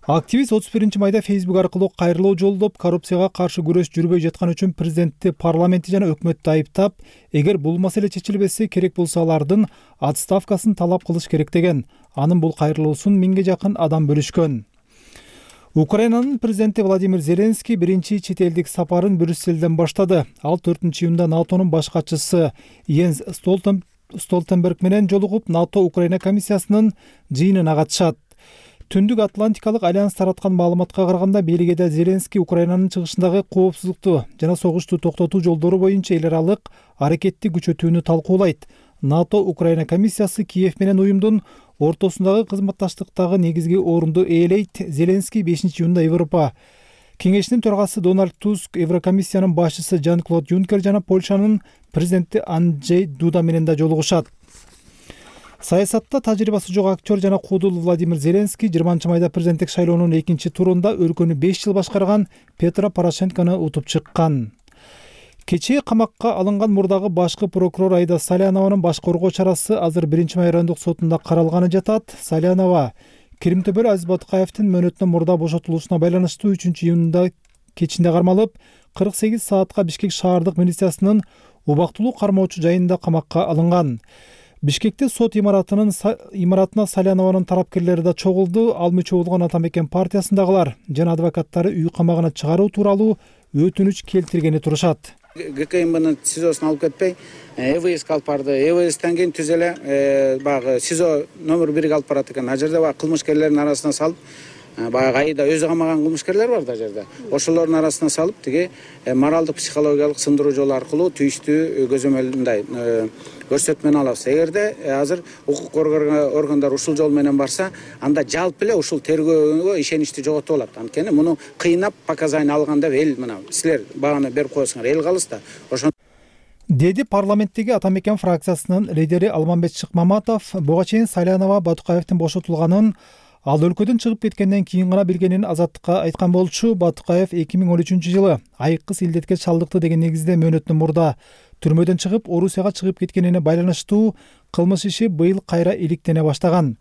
Активист 31-майда Facebook аркылуу кайрылуу жолдоп, коррупцияга каршы күрөш жүрбөй жаткан үчүн президентти, парламентти жана өкмөттү айыптап, эгер бул маселе чечилбесе керек болсо алардын отставкасын талап кылыш керек деген. Анын бул кайрылуусун 1000ге жакын адам бөлүшкөн. Украинанын президенти Владимир Зеленский биринчи чет элдик сапарын Брюсселден баштады. Ал 4-июнда НАТОнун баш катчысы Йенс Столтенберг менен жолугуп, НАТО Украина комиссиясынын жыйынына катышат. Түндүк Атлантикалык альянс тараткан маалыматка караганда, Бельгияда Зеленский Украинанын чыгышындагы коопсуздукту жана согушту токтотуу жолдору боюнча эл аралык аракетти күчөтүүнү талкуулайт. НАТО Украина комиссиясы Киев менен уюмдун ортосундагы кызматташтыктагы негизги орунду ээлейт. Зеленский 5-июнда Европа кеңешинин төрагасы Дональд Туск, Еврокомиссиянын башчысы Жан-Клод Юнкер жана Польшанын президенти Анджей Дуда менен да жолугушат. Саясатта тажрыйбасы жок актер жана куудул Владимир Зеленский 20-майда президенттик шайлоонун 2-турунда өлкөнү 5 жыл башкарган Петро Порошенкону утуп чыккан. Кечээ камакка алынган мурдагы башкы прокурор Айда Салянованын баш коргоо чарасы азыр 1-май райондук сотунда каралганы жатат. Салянова Киримтөбөл Азиз Батыкаевдин мөөнөтүнөн мурда бошотулуусуна байланыштуу 3-июнда кечинде кармалып, 48 саатка Бишкек шаардык милициясынын убактылуу кармоочу жайында камакка алынган. Бишкекте сот имаратына Салянованын тарапкерлери да чогулду. Ал мүчө болгон Ата Мекен партиясындагылар жана адвокаттары үй камагына чыгаруу тууралуу өтүнүч келтиргени турушат. ГКМБнын СИЗОсуна алып кетпей, ЭВСК алып барды. ЭВСтен кийин түз эле баягы СИЗО номер 1-ге алып барат экен. Ал жерде баягы кылмышкерлердин арасына салып, баягы айда өзү камаган кылмышкерлер бар да жерде. Ошолордун арасына салып, тиги моралдык психологиялык сындыруу жолу аркылуу тийиштүү көзөмөлүндай көрсөтмөнү алабыз. Эгерде азыр укук коргоо органдары ушул жол менен барса, анда жалпы эле ушул тергөөгө ишеничти жоготуп алат. Анткени муну кыйнап показания алган деп эл мына силер баганы берип коесуңар, эл калыс да. Ошон деди парламенттеги Ата Мекен фракциясынын лидери Алмамбет Шыкмаматов. Буга чейин Салянова Батыкаевдин бошотулганын ал өлкөдөн чыгып кеткенден кийин гана билгенин Азаттыкка айткан болчу. Батыкаев 2013-жылы айыккыс илдетке чалдыкты деген негизде мөөнөтүнөн мурда түрмөдөн чыгып, Орусияга чыгып кеткенине байланыштуу кылмыш иши быйыл кайра иликтене баштаган.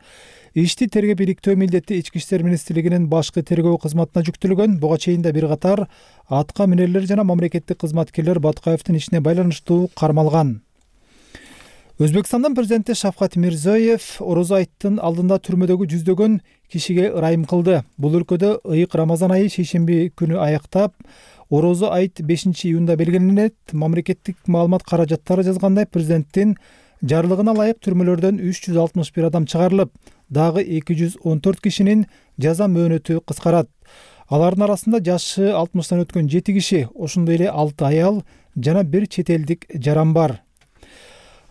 Ишти тергеп иликтөө милдети Ички иштер министрлигинин башкы тергөө кызматына жүктөлгөн. Буга чейин да бир катар атка минерлер жана мамлекеттик кызматкерлер Баткаевдин ишине байланыштуу кармалган. Өзбекстандын президенти Шавкат Мирзиёев орозо айттын алдында түрмөдөгү жүздөгөн кишиге ырайым кылды. Бул өлкөдө ыйык Рамазан айы шейшемби күнү аяктап, орозо айт 5-июнда белгиленет. Мамлекеттик маалымат каражаттары жазгандай, президенттин жарлыгына ылайык түрмөлөрдөн 361 адам чыгарылып, дагы 214 кишинин жаза мөөнөтү кыскарат. Алардын арасында жашы 60тан өткөн 7 киши, ошондой эле 6 аял жана 1 чет элдик жаран бар.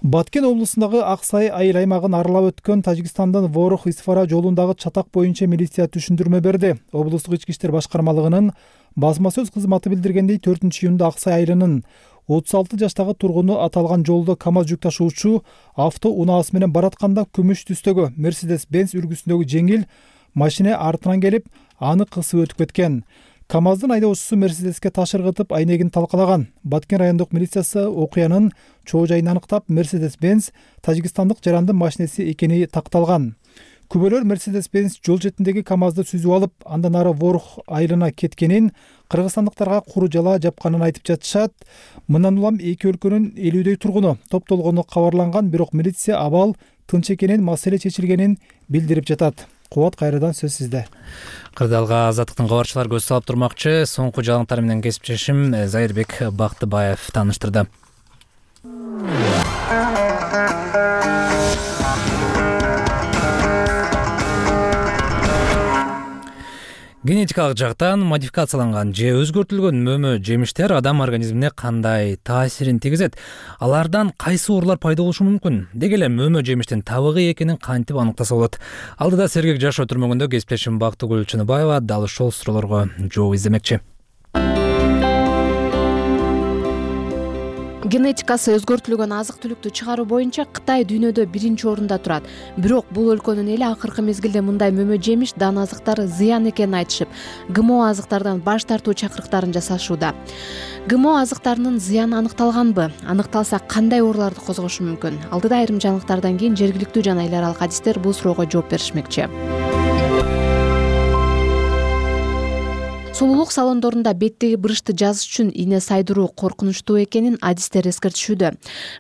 Баткен облусундагы Аксай айыл аймагын аралап өткөн Тажикстандын Ворох-Исфара жолундагы чатак боюнча милиция түшүндүрмө берди. Облустук ички иштер башкармалыгынын басма сөз кызматы билдиргендей, 4-июнда Аксай айылынын 36 жаштагы тургуну аталган жолдо КАМАЗ жүк ташуучу авто унаасы менен баратканда күмүш түстөгү Mercedes-Benz үлгүсүндөгү жеңил машина артынан келип, аны кысып өтүп кеткен. КАМАЗдын айдоочусу Мерседеске таш ыргытып, айнегин талкалаган. Баткен райондук милициясы окуянын чоо жайын аныктап, Mercedes-Benz тажикстандык жарандын машинеси экени такталган. Күбөлөр Mercedes-Benz жол четиндеги КАМАЗды сүзүп алып, андан ары Ворох айылына кеткенин, кыргызстандыктарга куру жала жапканын айтып жатышат. Мындан улам эки өлкөнүн 50дөй тургуну топтолгону кабарланган, бирок милиция абал тынч экенин, маселе чечилгенин билдирип жатат. Кубат, кайрадан сөз сизде. Кырдаалга Азаттыктын кабарчылары көз салып турмакчы. Соңку жаңылыктар менен кесиптешим Зайырбек Бактыбаев тааныштырды. Генетикалык жактан модификацияланган же өзгөртүлгөн мөмө жемиштер адам организмине кандай таасирин тийгизет? Алардан кайсы оорулар пайда болушу мүмкүн? Деги эле мөмө жемиштин табыгы экенин кантип аныктаса болот? Алдыда сергек жашоо түрмөгүндө кесиптешим Бактыгүл Чыныбаева дал ушул суроолорго жооп издемекчи. Генетикасы өзгөртүлгөн азык-түлүктү чыгаруу боюнча Кытай дүйнөдө 1-орунда турат. Бирок бул өлкөнүн эли акыркы мезгилде мындай мөмө жемиш дан азыктары зыян экенин айтышып, ГМО азыктардан баш тартуу чакырыктарын жасашууда. ГМО азыктарынын зыяны аныкталганбы? Аныкталса, кандай ооруларды козгошу мүмкүн? Алдыда айрым жаңылыктардан кийин жергиликтүү жана эл аралык адистер бул суроого жооп беришмекчи. Сулуулук салондорунда беттеги бырышты жазыш үчүн ийне сайдыруу коркунучтуу экенин адистер эскертишүүдө.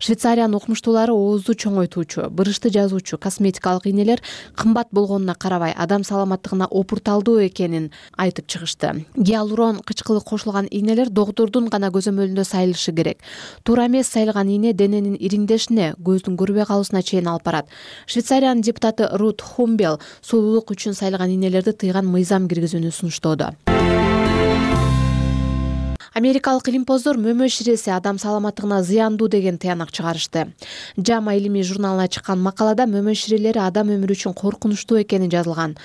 Швейцариянын окумуштуулары оозду чоңойтуучу, бырышты жазуучу косметикалык ийнелер кымбат болгонуна карабай адам саламаттыгына опурталдуу экенин айтып чыгышты. Гиалурон кычкылы кошулган ийнелер доктурдун гана көзөмөлүндө сайылышы керек. Туура эмес сайылган ийне дененин ириңдешине, көздүн көрбөй калуусуна чейин алып барат. Швейцариянын депутаты Рут Хумбел сулуулук үчүн сайылган ийнелерди тыйган мыйзам киргизүүнү сунуштоодо. Америкалык илимпоздор мөмө ширеси адам саламаттыгына зыяндуу деген тыянак чыгарышты. JAMA илимий журналына чыккан макалада мөмө ширелери адам өмүрү үчүн коркунучтуу экени жазылган.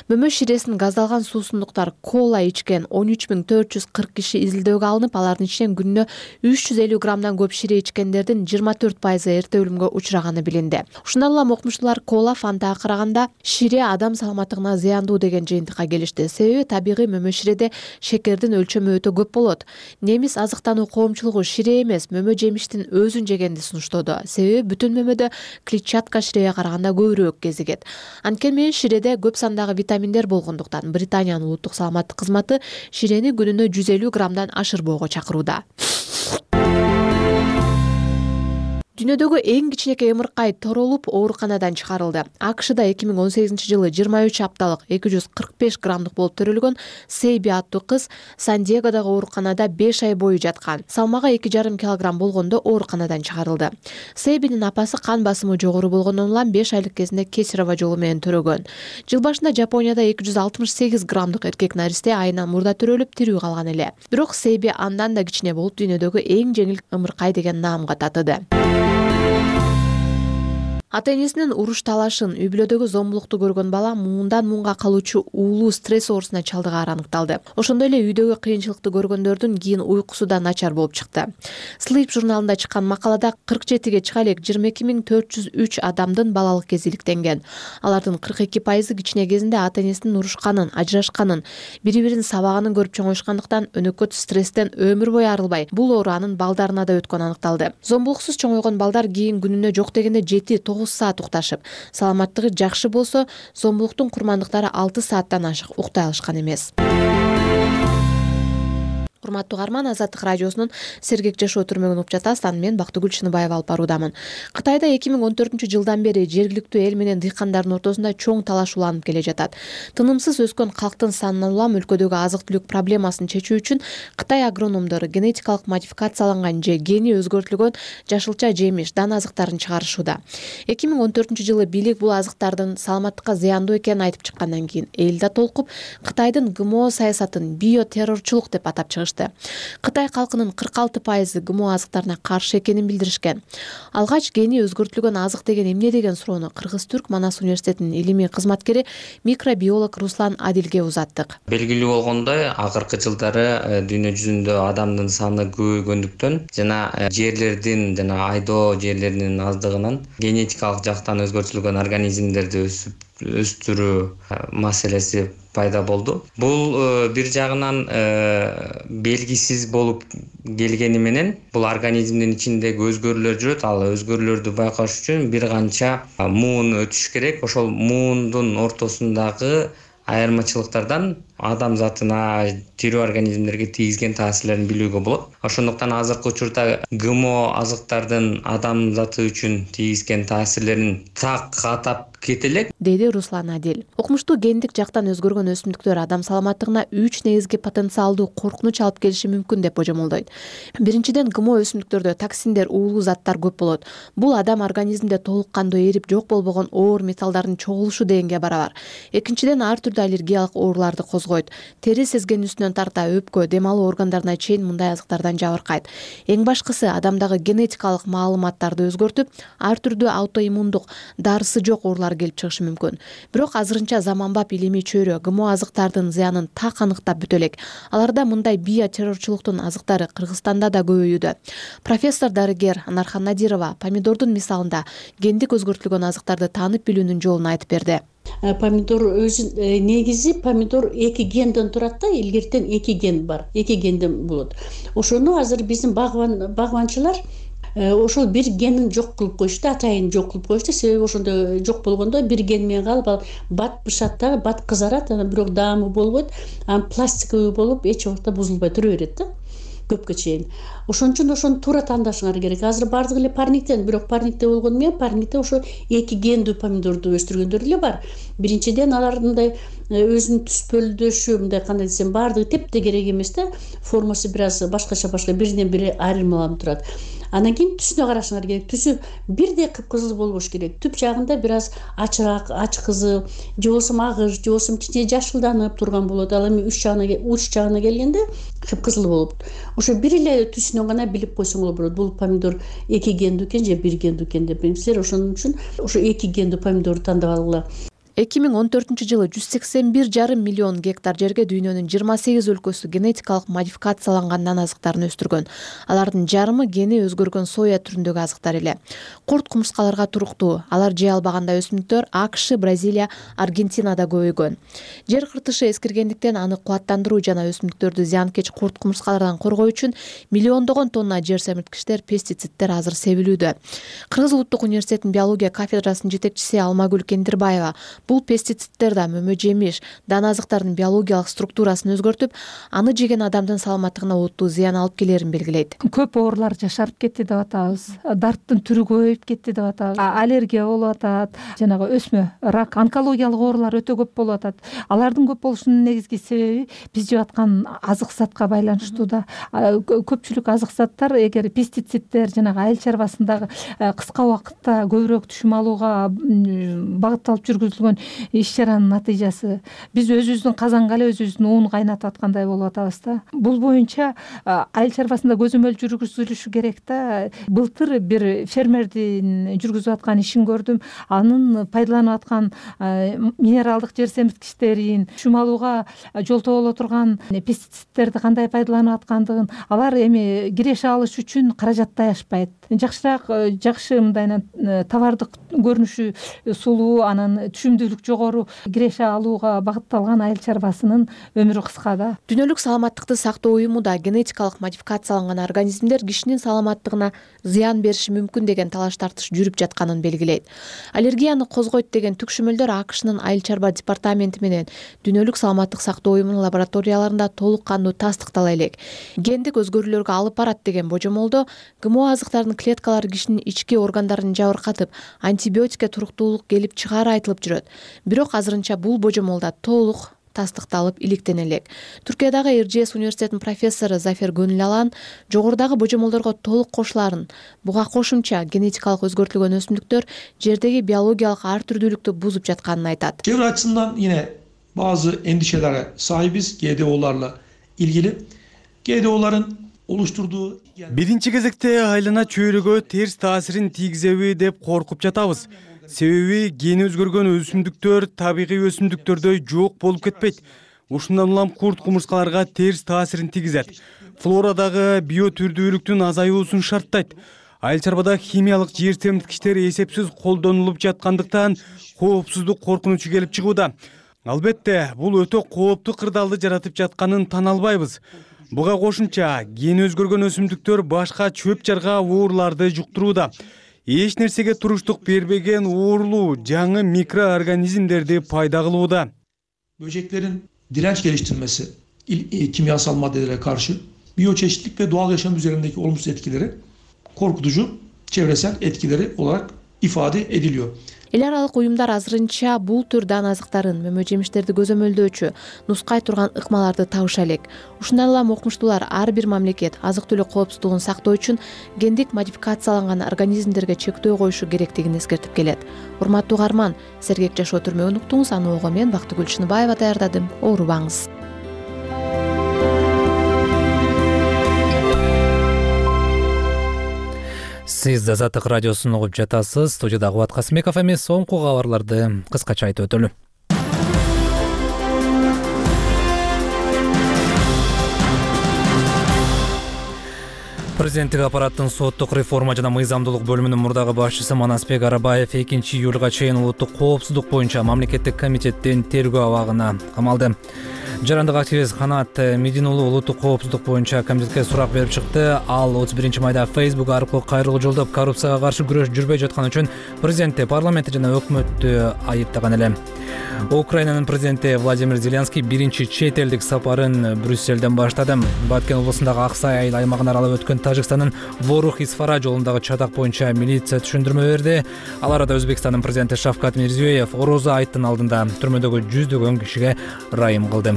Мөмө ширесин газдалган суусундуктар кола ичкен 13440 киши изилдөөгө алынып, алардын ичинен күнүнө 350 граммдан көп шире ичкендердин 24% эрте өлүмгө учураганы билинди. Ушундан улам окумуштуулар кола, фантага караганда шире адам саламаттыгына зыяндуу деген жыйынтыкка келишти. Себеби табигый мөмө ширеде шекердин өлчөмү өтө көп болот. Немис азыктануу коомчулугу шире эмес, мөмө жемиштин өзүн жегенди сунуштоодо. Себеби бүтүн мөмөдө клетчатка ширеге караганда көбүрөөк кезигет. Анткени менен ширеде көп сандагы витаминдер болгондуктан Британиянын улуттук саламаттык кызматы ширени күнүнө 150 граммдан ашырбоого чакырууда. Дүйнөдөгү эң кичинекей ымыркай торолуп ооруканадан чыгарылды. АКШда 2018-жылы 23 апталык 245 граммдык болуп төрөлгөн Сейби аттуу кыз Сан-Диегодогу ооруканада 5 ай бою жаткан. Салмагы 2,5 килограмм болгондо ооруканадан чыгарылды. Сейбинин апасы кан басымы жогору болгондон улам 5 айлык кезинде кесарево жолу менен төрөгөн. Жыл башында Жапонияда 268 граммдык эркек наристе айынан мурда төрөлүп тирүү калган эле. Бирок Сейби андан да кичине болуп дүйнөдөгү эң жеңил ымыркай деген наамга татыды. Ата-энесинин уруш талашын, үй-бүлөдөгү зомбулукту көргөн бала муундан муунга калуучу уулуу стресс оорусуна чалдыгаары аныкталды. Ошондой эле үйдөгү кыйынчылыкты көргөндөрдүн кийин уйкусу да начар болуп чыкты. Sleep журналында чыккан макалада 47ге чыга элек 22403 адамдын балалык кези иликтенген. Алардын 42% кичине кезинде ата-энесинин урушканын, ажырашканын, бири-бирин сабаганын көрүп чоңоюшкандыктан өнөкөт стресстен өмүр бою арылбай, бул оору анын балдарына да өткөнү аныкталды. Зомбулуксуз чоңойгон балдар кийин күнүнө жок дегенде 7-9 9 саат укташып, саламаттыгы жакшы болсо, зомбулуктун курмандыктары 6 сааттан ашык уктай алышкан эмес. Урматтуу угарман, Азаттык радиосунун сергек жашоо түрмөгүн угуп жатасыз. Аны мен Бактыгүл Чыныбаева алып баруудамын. Кытайда 2014-жылдан бери жергиликтүү эл менен дыйкандардын ортосунда чоң талаш уланып келе жатат. Тынымсыз өскөн калктын санынан улам өлкөдөгү азык-түлүк проблемасын чечүү үчүн Кытай агрономдору генетикалык модификацияланган же гени өзгөртүлгөн жашылча жемиш, дан азыктарын чыгарышууда. 2014-жылы бийлик бул азыктардын саламаттыкка зыяндуу экенин айтып чыккандан кийин эл да толкуп Кытайдын ГМО саясатын биотеррорчулук деп атап чыгышты. Кытай калкынын 46% ГМО азыктарына каршы экенин билдиришкен. Алгач гени өзгөртүлгөн азык деген эмне деген суроону Кыргыз-Түрк Манас университетинин илимий кызматкери микробиолог Руслан Адилге узаттык. Белгилүү болгондой, акыркы жылдары дүйнө жүзүндө адамдын саны көбөйгөндүктөн жана жерлердин айдоо жерлеринин аздыгынан генетикалык жактан өзгөртүлгөн организмдерди өстүрүү маселеси пайда болду. Бул бир жагынан белгисиз болуп келгени менен бул организмдин ичиндеги өзгөрүүлөр жүрөт. Ал өзгөрүүлөрдү байкаш үчүн бир канча муун өтүш керек. Ошол муундун ортосундагы айырмачылыктардан адам затына, тирүү организмдерге тийгизген таасирлерин билүүгө болот. Ошондуктан азыркы учурда ГМО азыктардын адам заты үчүн тийгизген таасирлерин так атап кете элек, деди Руслан Адил. Окумуштуу гендик жактан өзгөргөн өсүмдүктөр адам саламаттыгына 3 негизги потенциалдуу коркунуч алып келиши мүмкүн деп божомолдойт. Биринчиден, ГМО өсүмдүктөрдө токсиндер, уулуу заттар көп болот. Бул адам организмде толук кандуу эрип жок болбогон оор металлдардын чогулушу дегенге барабар. Экинчиден, ар түрдүү аллергиялык ооруларды козгойт. Тери сезгенүсүнөн тарта өпкө, дем алуу органдарына чейин мындай азыктардан жабыркайт. Эң башкысы, адамдагы генетикалык маалыматтарды өзгөртүп, ар түрдүү аутоиммундук, дарысы жок оорулар келип чыгышы мүмкүн. Бирок азырынча заманбап илимий чөйрө ГМО азыктардын зыянын так аныктап бүтө элек. Аларда мындай биотеррорчулуктун азыктары Кыргызстанда да көбөйүүдө. Профессор дарыгер Анархан Надирова помидордун мисалында гендик өзгөртүлгөн азыктарды таанып билүүнүн жолун айтып берди. Помидор өзү негизи помидор 2 генден турат да, илгертен 2 ген бар. 2 генден болот. Ошону азыр биздин багбанчылар ошол бир генин жок кылып коюшту, атайын жок кылып коюшту. Себеби ошондо жок болгондо бир ген менен калып, ал бат бышат да, бат кызарат, бирок даамы болбойт. Анан пластиковый болуп эч убакта бузулбай тура берет да, көпкө чейин. Ошон үчүн ошону туура тандашыңар керек. Азыр бардыгы эле парниктен, бирок парникте болгону менен парникте ошо 2 гендүү помидорду өстүргөндөр эле бар. Биринчиден, алар мындай өзүнүн түспөлдөшү, мындай кандай десем, бардыгы тепте керек эмес да, формасы бир аз башкача биринен бири айырмаланып турат. Андан кийин түсүнө карашыңар керек. Түсү бирдей кыпкызыл болбош керек. Түп жагында бир аз ачыраак, ачкызыл, же болбосо агыш, же болбосо кичине жашылданып турган болот. Ал эми уч жагына келгенде кыпкызыл болот. Ошо бир эле түсүнөн гана билип койсоңор болот. Бул помидор 2 гендүү экен же 1 гендүү экен деп. Силер ошон үчүн ошо 2 гендүү помидорду тандап алгыла. 2014-жылы 181,5 миллион гектар жерге дүйнөнүн 28 өлкөсү генетикалык модификацияланган дан азыктарын өстүргөн. Алардын жарымы гени өзгөргөн соя түрүндөгү азыктар эле. Курт кумурскаларга туруктуу. Алар жей албагандай өсүмдүктөр АКШ, Бразилия, Аргентинада көбөйгөн. Жер кыртышы эскиргендиктен аны кубаттандыруу жана өсүмдүктөрдү зыянкеч курт кумурскалардан коргоо үчүн миллиондогон тонна жер семирткичтер, пестициддер азыр себилүүдө. Кыргыз Улуттук университетинин биология кафедрасынын жетекчиси Алмагүл Кендирбаева бул пестициддер да мөмө жемиш, дан азыктардын биологиялык структурасын өзгөртүп, аны жеген адамдын саламаттыгына олуттуу зыян алып келерин белгилейт. Көп оорулар жашарып кетти деп атабыз. Дарттын түрү көбөйүп кетти деп атабыз. Аллергия болуп атат, жанагы өсмө, рак, онкологиялык оорулар өтө көп болуп атат. Алардын көп болушунун негизги себеби биз жеп аткан азык затка байланыштуу да. Көпчүлүк азык заттар эгер пестициддер жанагы айыл чарбасындагы кыска убакытта көбүрөөк түшүм алууга багытталып жүргүзүлгөн иш-чаранын натыйжасы. Биз өзүбүздүн казанга эле өзүбүздүн уун кайнатып аткандай болуп атабыз да. Бул боюнча айыл чарбасында көзөмөл жүргүзүлүшү керек да. Былтыр бир фермердин жүргүзүп аткан ишин көрдүм. Анын пайдаланып аткан минералдык жер семирткичтерин, түшүм алууга жолтоо боло турган пестициддерди кандай пайдаланып аткандыгын, алар эми киреше алыш үчүн каражаттай ашпайт. Жакшыраак, жакшы мындай товардык көрүнүшү сулуу, анан түшүмдүү өнүктүүлүк жогору киреше алууга багытталган айыл чарбасынын өмүрү кыска да. Дүйнөлүк саламаттыкты сактоо уюму да генетикалык модификацияланган организмдер кишинин саламаттыгына зыян бериши мүмкүн деген талаш тартыш жүрүп жатканын белгилейт. Аллергияны козгойт деген түкшүмөлдөр АКШнын айыл чарба департаменти менен Дүйнөлүк саламаттык сактоо уюмунун лабораторияларында толук кандуу тастыктала элек. Гендик өзгөрүүлөргө алып барат деген божомолдо ГМО азыктардын клеткалары кишинин ички органдарын жабыркатып, антибиотикке туруктуулук келип чыгаары айтылып жүрөт. Бирок азырынча бул божомолда толук тастыкталып иликтене элек. Түркиядагы РЖС университетинин профессору Зафер Гөнүл жогорудагы божомолдорго толук кошуларын, буга кошумча генетикалык өзгөртүлгөн өсүмдүктөр жердеги биологиялык ар түрдүүлүктү бузуп жатканын айтат. Çevre açısından yine bazı endişelere sahibiz GDO'larla ilgili. GDO'ların oluşturduğu... Биринчи кезекте айлана чөйрөгө терс таасирин тийгизеби деп коркуп жатабыз. Себеби гени өзгөргөн өсүмдүктөр табигый өсүмдүктөрдөй жок болуп кетпейт. Ушундан улам курт кумурскаларга терс таасирин тийгизет. Флорадагы биотүрдүүлүктүн азаюусун шарттайт. Айыл чарбада химиялык жер семирткичтер эсепсиз колдонулуп жаткандыктан коопсуздук коркунучу келип чыгууда. Албетте, бул өтө кооптуу кырдаалды жаратып жатканын тана албайбыз. Буга кошумча гени өзгөргөн өсүмдүктөр башка чөп жарга ооруларды жуктурууда. Эч нерсеге туруштук бербеген оорлуу жаңы mikroorganizmlerdi пайда кылууда. Böceklerin direnç geliştirmesi kimyasal maddelere karşı biyoçeşitlilik ve doğal yaşam üzerindeki olumsuz etkileri korkutucu çevresel etkileri olarak ifade ediliyor. Эл аралык уюмдар азырынча бул төр дан азыктарын, мөмө жемиштерди көзөмөлдөөчү, нускай турган ыкмаларды табыша элек. Ушундан улам окумуштуулар ар бир мамлекет азык-түлүк коопсуздугун сактоо үчүн гендик модификацияланган организмдерге чектөө коюшу керектигин эскертип келет. Урматтуу угарман, сергек жашоо түрмөгүн уктуңуз, аны ого мен Бактыгүл Чыныбаева даярдадым. Оорубаңыз. Сиз Азаттык радиосун угуп жатасыз. Студияда Кубат Касымбеков эмес, соңку кабарларды кыскача айтып өтөлү. Президенттик аппараттын соттук реформа жана мыйзамдуулук бөлүмүнүн мурдагы башчысы Манасбек Арабаев 2-июлга чейин улуттук коопсуздук боюнча мамлекеттик комитеттин тергөө абагына камалды. Жарандык активист Канат Медин уулу улуттук коопсуздук боюнча комитетке сурак берип чыкты. Ал 31-майда Facebook аркылуу кайрылуу жолдоп коррупцияга каршы күрөш жүрбөй жаткан үчүн президентти, парламентти жана өкмөттү айыптаган эле. Украинанын президенти Владимир Зеленский биринчи чет элдик сапарын Брюсселден баштады. Баткен облусундагы Аксай айыл аймагын аралап өткөн Тажикстандын Ворух-Исфара жолундагы чатак боюнча милиция түшүндүрмө берди. Ал арада Өзбекстандын президенти Шавкат Мирзиёев орозо айттын алдында түрмөдөгү жүздөгөн кишиге ырайым кылды.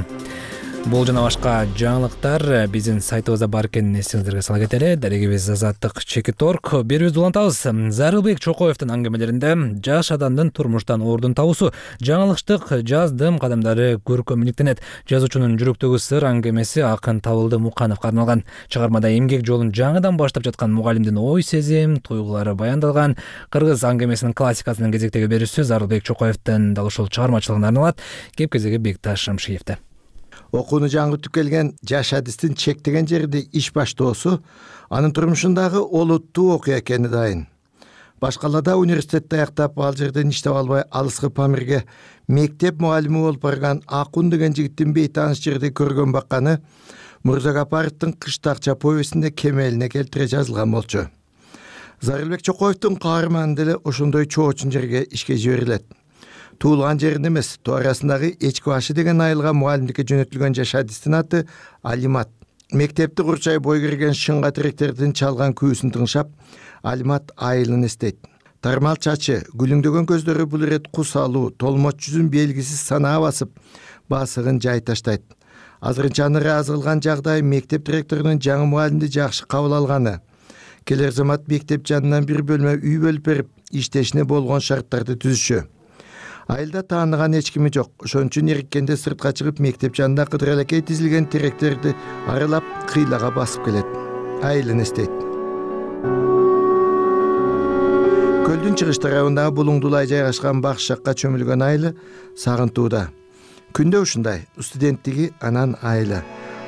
Бул жана башка жаңылыктар биздин сайтыбызда бар экенин эсиңиздерге сала кетели. Дарегибиз Азаттык Чекиторг. Берүүбүздү улантабыз. Зарылбек Чокоевдин аңгемелеринде жаш адамдын турмуштан ордун табуусу жаңылыштык жаздым кадамдары көркөмүлүктенет. Жазуучунун жүрөктөгү сыр аңгемеси акын Табылды Мукановго арналган. Чыгармада эмгек жолун жаңыдан баштап жаткан мугалимдин ой сезим, туйгулары баяндалган. Кыргыз аңгемесинин классикасынын кезектеги берүүсү Зарылбек Чокоевдин дал ушул чыгармачылыгына арналат. Кеп-кезеги Бекташ Шамшиевде. Окууну жаңыртып келген жаш адистин чектеген жерде иш баштоосу анын турмушундагы олуттуу окуя экени дайын. Башкалада университетти аяктап ал жерден иштеп албай алыскы Памирге мектеп мугалими болуп барган Акун деген жигиттин бейтааныш жерде көргөн бакканы Мурзагапаровдун Кыштакча повестинде кемелине келтире жазылган болчу. Зарылбек Чокоевдун каарманы деле ошондой чоочун жерге ишке жиберилет. Туулган жерин эмес, тоо арасындагы Эчки башы деген айылга мугалимдикке жөнөтүлгөн жаш адистин аты Алимат. Мектепти курчай бой кирген шыңга тиректердин чалган күүсүн тыңшап, Алимат айылын эстейт. Тармал чачы, гүлүңдөгөн көздөрү бул ирет кусалуу, толмоч жүзүн белгисиз санаа басып, басыгын жай таштайт. Азырынча аны ыраазы кылган жагдай мектеп директорунун жаңы мугалимди жакшы кабыл алганы. Келер замат мектеп жанынан бир бөлмө үй бөлүп берип, иштешине болгон шарттарды түзүшү. Айылда тааныган эч кими жок. Ошон үчүн эриккенде сыртка чыгып мектеп жанында кыдыралекей тизилген теректерди аралап кыйлага басып келет. Айылын эстейт. Көлдүн чыгыш тарабындагы булуңдулай жайгашкан бакш жакка чөмүлгөн айылы сагынтууда. Күндө ушундай студенттиги анан айылы.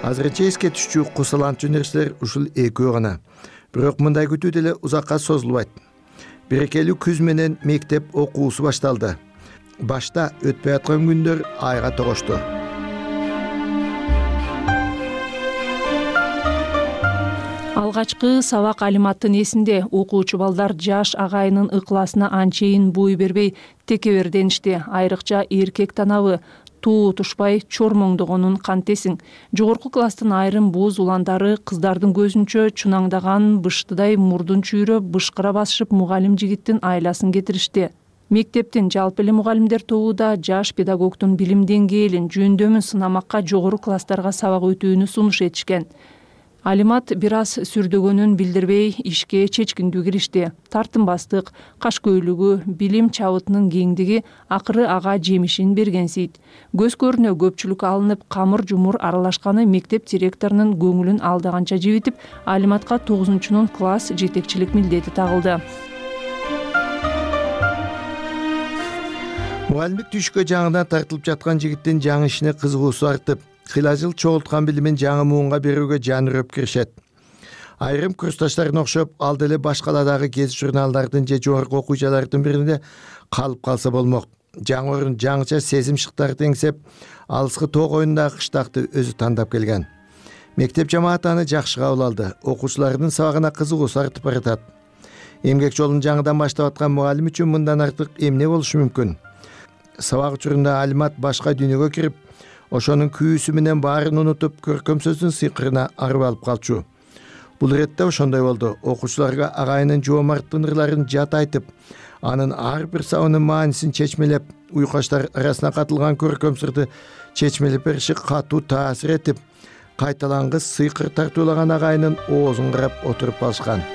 Азырынча эске түшчү кусаланчу нерселер ушул экөө гана. Бирок мындай күтүү деле узакка созулбайт. Берекелүү күз менен мектеп окуусу башталды. башта өтпөй аткан күндөр айга тогошту. Алгачкы сабак Алиматтын эсинде окуучу балдар жаш агайынын ыкласына анчейин бой бербей текеберденишти. Айрыкча эркек танабы туу тушпай чормоңдогонун кантесиң. Жогорку класстын айрым боз уландары кыздардын көзүнчө чунаңдаган быштыдай мурдун чүйрөп бышкыра басышып мугалим жигиттин айласын кетиришти. Мектептин жалпы эле мугалимдер тобу да жаш педагогдун билим деңгээлин, жөндөмүн сынамакка жогору класстарга сабак өтүүнү сунуш этишкен. Алимат бир аз сүрдөгөнүн билдирбей ишке чечкиндүү киришти. Тартынбастык, кашкөйлүгү, билим чабытынын кеңдиги акыры ага жемишин бергенсийт. Көз көрүнө көпчүлүк алынып, камыр жумур аралашканы мектеп директорунун көңүлүн алдаганча жибитип, Алиматка 9-чунун класс жетекчилик милдети тагылды. Мугалимдик түшкө жаңыдан тартылып жаткан жигиттин жаңы ишине кызыгуусу артып, кыйла жыл чогулткан билимин жаңы муунга берүүгө жан үрөп киришет. Айрым курсташтарына окшоп, ал деле башкаладагы гезит журналдардын же жогорку окуу жайлардын биринде калып калса болмок. Жаңы орун жаңыча сезим шыктарды эңсеп, алыскы тоо коюндагы кыштакты өзү тандап келген. Мектеп жамааты аны жакшы кабыл алды. Окуучулардын сабагына кызыгуусу артып баратат. Эмгек жолун жаңыдан баштап аткан мугалим үчүн мындан артык эмне болушу мүмкүн? Сабак учурунда Алимат башка дүйнөгө кирип, ошонун күйүүсү менен баарын унутуп, көркөм сөздүн сыйкырына арып алып калчу. Бул иретте ошондой болду. Окуучуларга агайынын жоомарттын ырларын жат айтып, анын ар бир сабынын маанисин чечмелеп, уйкаштар арасына катылган көркөм сырды чечмелеп бериши катуу таасир этип, кайталангыс сыйкыр тартуулаган агайынын оозун карап отуруп алышкан.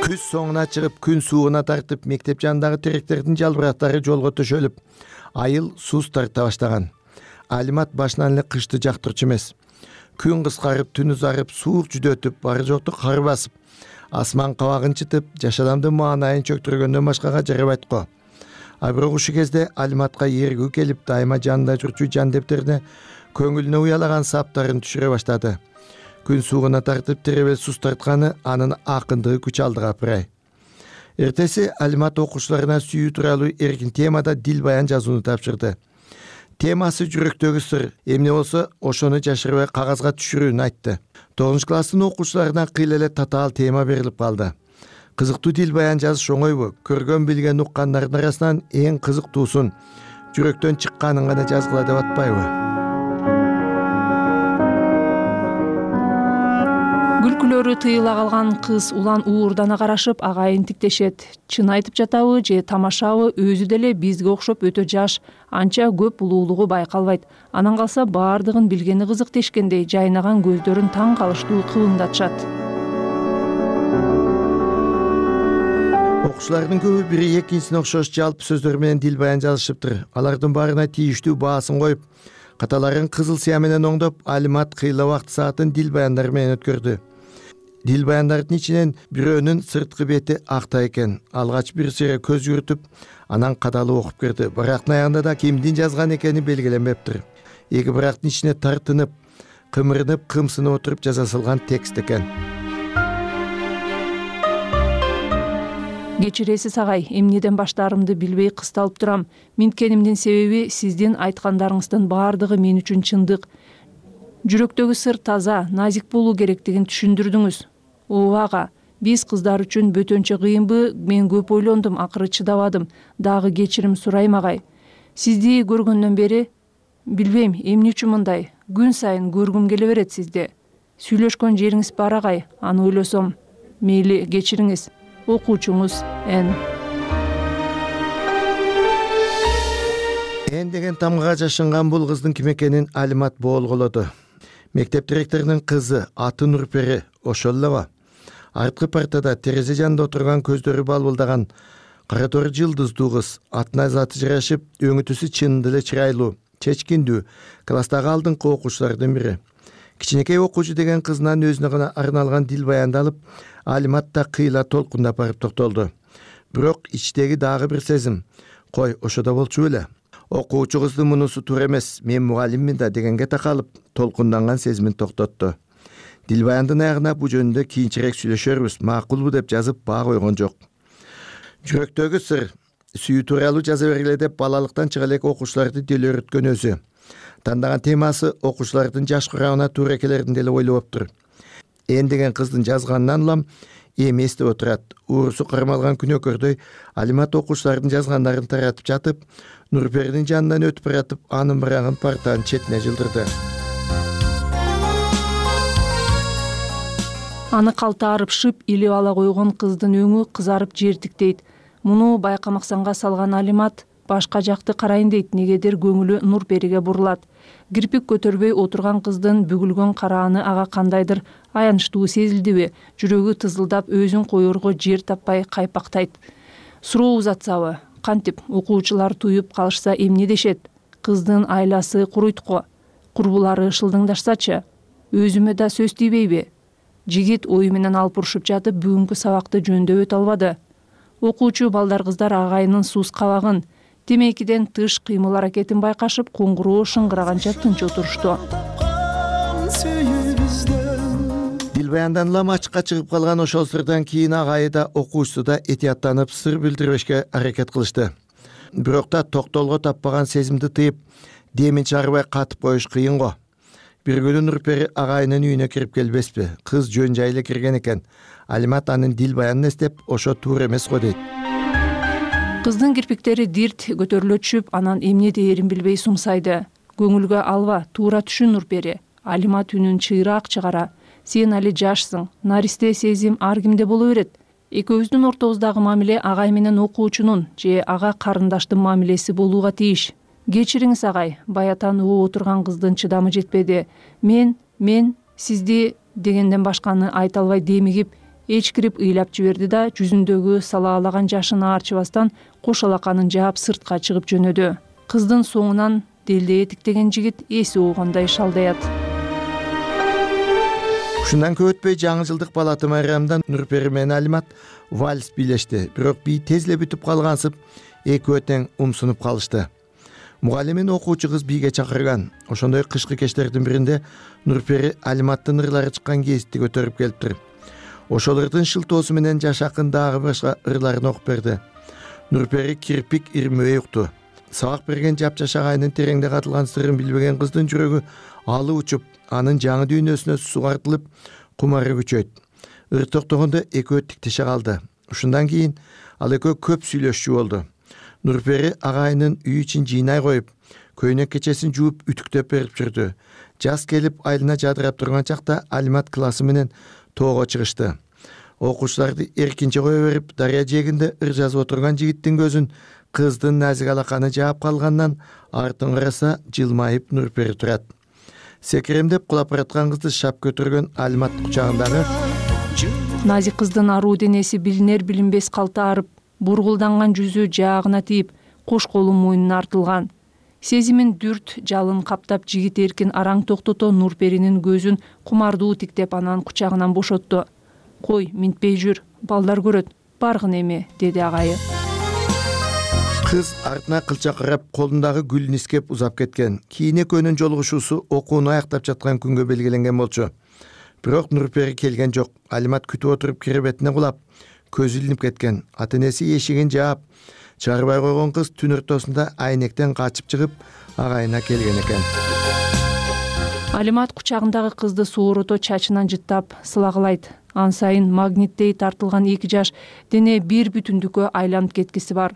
Күз соңуна чыгып, күн сууна тартып, мектеп жанындагы теректердин жалбырактары жолго төшөлүп, айыл суз тарта баштаган. Алимат башынан эле кышты жактырчу эмес. Күн кыскарып, түн узарып, суук жүдөтүп, бары жокту кар басып, асман кабагын чытып, жаш адамдын маанайын чөктүргөндөн башкага жарабайт го. А бирок ушул кезде Алиматка эргүү келип, дайыма жанында жүрчү жандептерине көңүлүнө уялаган саптарын түшүрө баштады. Күн суугуна тартып теребел суз тартканы анын акындыгы күч алды капырай. Эртеси Алимат окуучуларына сүйүү тууралуу эркин темада дил баян жазууну тапшырды. Темасы жүрөктөгү сыр, эмне болсо ошону жашырбай кагазга түшүрүүнү айтты. 9-класстын окуучуларына кыйла эле татаал тема берилип калды. Кызыктуу дил баян жазыш оңойбу? Көргөн билген уккандардын арасынан эң кызыктуусун, жүрөктөн чыкканын гана жазгыла деп атпайбы? Күлкүлөрү тыйыла калган кыз улан уурдана карашып агайын тиктешет. Чын айтып жатабы же тамашабы, өзү деле бизге окшоп өтө жаш, анча көп улуулугу байкалбайт. Анан калса баардыгын билгени кызык дешкендей жайнаган көздөрүн таң калыштуу кыбыңдатышат. Окуучулардын көбү бири экинчисине окшош жалпы сөздөр менен дил баян жазышыптыр. Алардын баарына тийиштүү баасын коюп, каталарын кызыл сыя менен оңдоп, Алимат кыйла убакыт саатын дил баяндар менен өткөрдү. Дил баяндардын ичинен бирөөнүн сырткы бети акта экен. Алгач бир сыйра көз жүгүртүп, анан кадалып окуп кирди. Бирактын аягында да кимдин жазган экени белгиленбептир. Эки бирактын ичине тартынып, кымырынып, кымсынып отуруп жаза салган текст экен. Кечиресиз агай, эмнеден баштаарымды билбей кысталып турам. Минткенимдин себеби сиздин айткандарыңыздын баардыгы мен үчүн чындык. Жүрөктөгү сыр таза, назик болуу керектигин түшүндүрдүңүз. Ага, биз кыздар үчүн бөтөнчө кыйынбы? Мен көп ойлондум, акыры чыдабадым. Дагы кечирим сурайм агай. Сизди көргөндөн бери билбейм, эмне үчүн мындай. Күн сайын көргүм келе берет сизди. Сүйлөшкөн жериңиз бар агай, аны ойлосом. Мейли, кечириңиз. Окуучуңуз Н. Н деген тамгага жашынган бул кыздын ким экенин Алимат боолголоду. Мектеп директорунун кызы, аты Нурпери, ошол элеби. Арткы партада терезе жанында отурган көздөрү балбылдаган кара тор жылдыздуу кыз, атына заты жарашып, өңүтүсү чынында эле чырайлуу, чечкиндүү, класстагы алдыңкы окуучулардын бири. Кичинекей окуучу деген кызынан өзүнө гана арналган дил баянды алып, Алимат да кыйла толкундап барып токтолду. Бирок ичтеги дагы бир сезим. Кой, ошодо болчу беле. Окуучу кыздын мунусу туура эмес, мен мугалиммин да дегенге такалып, толкунданган сезимин токтотту. Дил баяндын аягына бу жөнүндө кийинчерээк сүйлөшөрбүз, макулбу деп жазып баа койгон жок. Жүрөктөгү сыр сүйүү тууралуу жаза бергиле деп балалыктан чыга элек окуучуларды деле үйрөткөн өзү. Тандаган темасы окуучулардын жаш курамына туура келерин деле ойлоптур. Эн деген кыздын жазганынан улам эми эстеп отурат. Уурусу кармалган күнөөкөрдөй Алимат окуучулардын жазгандарын таратып жатып, Нурперинин жанынан өтүп баратып, анын барагын партанын четине жылдырды. Аны калтаарып шып илип ала койгон кыздын өңү кызарып жертиктейт. Муну байкамаксанга салган Алимат башка жакты карайын дейт, негедир көңүлү Нурпериге бурулат. Кирпик көтөрбөй отурган кыздын бүгүлгөн карааны ага кандайдыр аянычтуу сезилдиби? Жүрөгү тызылдап, өзүн коерго жер таппай кайпактайт. Суроо узатсабы? Кантип окуучулар туюп калышса эмне дешет? Кыздын айласы куруйтку, курбулары шылдыңдашсачы? Өзүмө да сөз тийбейби? Жигит ою менен алып урушуп жатып, бүгүнкү сабакты жөндөп өтө албады. Окуучу балдар кыздар агайынын сууз кабагын, темекиден тыш кыймыл аракетин байкашып, коңгуроо шыңгыраганча тынч отурушту. Дилбаяндан улам ачыкка чыгып калган ошол сырдан кийин агайы да окуучусу да этияттанып сыр билдирбешке аракет кылышты. Бирок да токтолго таппаган сезимди тыйып, демин чыгарбай катып коюш кыйын го. Бир күнү Нурпери агайынын үйүнө кирип келбеспи? Кыз жөн жайлы кирген экен. Алимат анын Дилбаянын эстеп, ошо туура эмес го дейт. Кыздын кирпиктери дирт көтөрүлө түшүп, анан эмне дээрин билбей сумсайды. Көңүлгө алба, туура түшүн Нурпери. Алимат үнүн чыйраак чыгара. Сен али жашсың, наристе сезим ар кимде боло берет. Экөөбүздүн ортобуздагы мамиле агай менен окуучунун же ага карындаштын мамилеси болууга тийиш. Кечириңиз агай, баятан угуп отурган кыздын чыдамы жетпеди. Мен сизди дегенден башканы айта албай демигип, эчкирип ыйлап жиберди да жүзүндөгү салаалаган жашын аарчыбастан кош алаканын жаап сыртка чыгып жөнөдү. Кыздын соңунан делде этиктеген жигит эси оонгондой шалдаят. Ушундан көп өтпөй жаңы жылдык балаты майрамда Нурпери менен Алимат вальс бийлешти. Бирок бий тез эле бүтүп калгансып, экөө тең умсунуп калышты. Мугалимин окуучу кыз бийге чакырган. Ошондой кышкы кечтердин биринде Нурпери Алиматтын ырлары чыккан гезитти көтөрүп келиптир. Ошол ырдын шылтоосу менен Жашакын дагы башка ырларын окуп берди. Нурпери кирпик ирмөй укту. Сабак берген жапжаш агайынын тереңде катылган сырын билбеген кыздын жүрөгү алы учуп, анын жаңы дүйнөсүнө сугартылып, кумары күчөйт. Ыр токтогондо экөө тиктеше калды. Ушундан кийин ал экөө көп сүйлөшчү болду. Нурпери агайынын үй ичин жыйнай коюп, көйнөк кечесин жууп үтүктөп берип жүрдү. Жаз келип айлына жадырап турган чакта Алимат классы менен тоого чыгышты. Окуучуларды эркинче кое берип, дарыя жээгинде ыр жазып отурган жигиттин көзүн кыздын назик алаканы жаап калгандан артын караса жылмайып Нурпери турат. Секиремдеп кулап бараткан кызды шап көтөргөн Алимат кучагындагы назик кыздын аруу денеси билинер билинбес калтаарып, бургулданган жүзү жаагына тийип, кош колу мойнуна артылган. Сезимин дүрт жалын каптап, жигит эркин араң токтото Нурперинин көзүн кумардуу тиктеп анан кучагынан бошотту. Кой, минтпей жүр, балдар көрөт, баргын эми, деди агайы. Кыз артына кылча карап, колундагы гүлүн искеп узап кеткен. Кийин экөөнүн жолугушуусу окууну аяктап жаткан күнгө белгиленген болчу. Бирок Нурпери келген жок. Алимат күтүп отуруп киребетине кулап, көзү илинип кеткен. Ата-энеси эшигин жаап, чыгарбай койгон кыз түн ортосунда айнектен качып чыгып, агайына келген экен. Алимат кучагындагы кызды соорото чачынан жыттап, сылагылайт. Ан сайын магниттей тартылган эки жаш дене бир бүтүндүккө айланып кеткиси бар.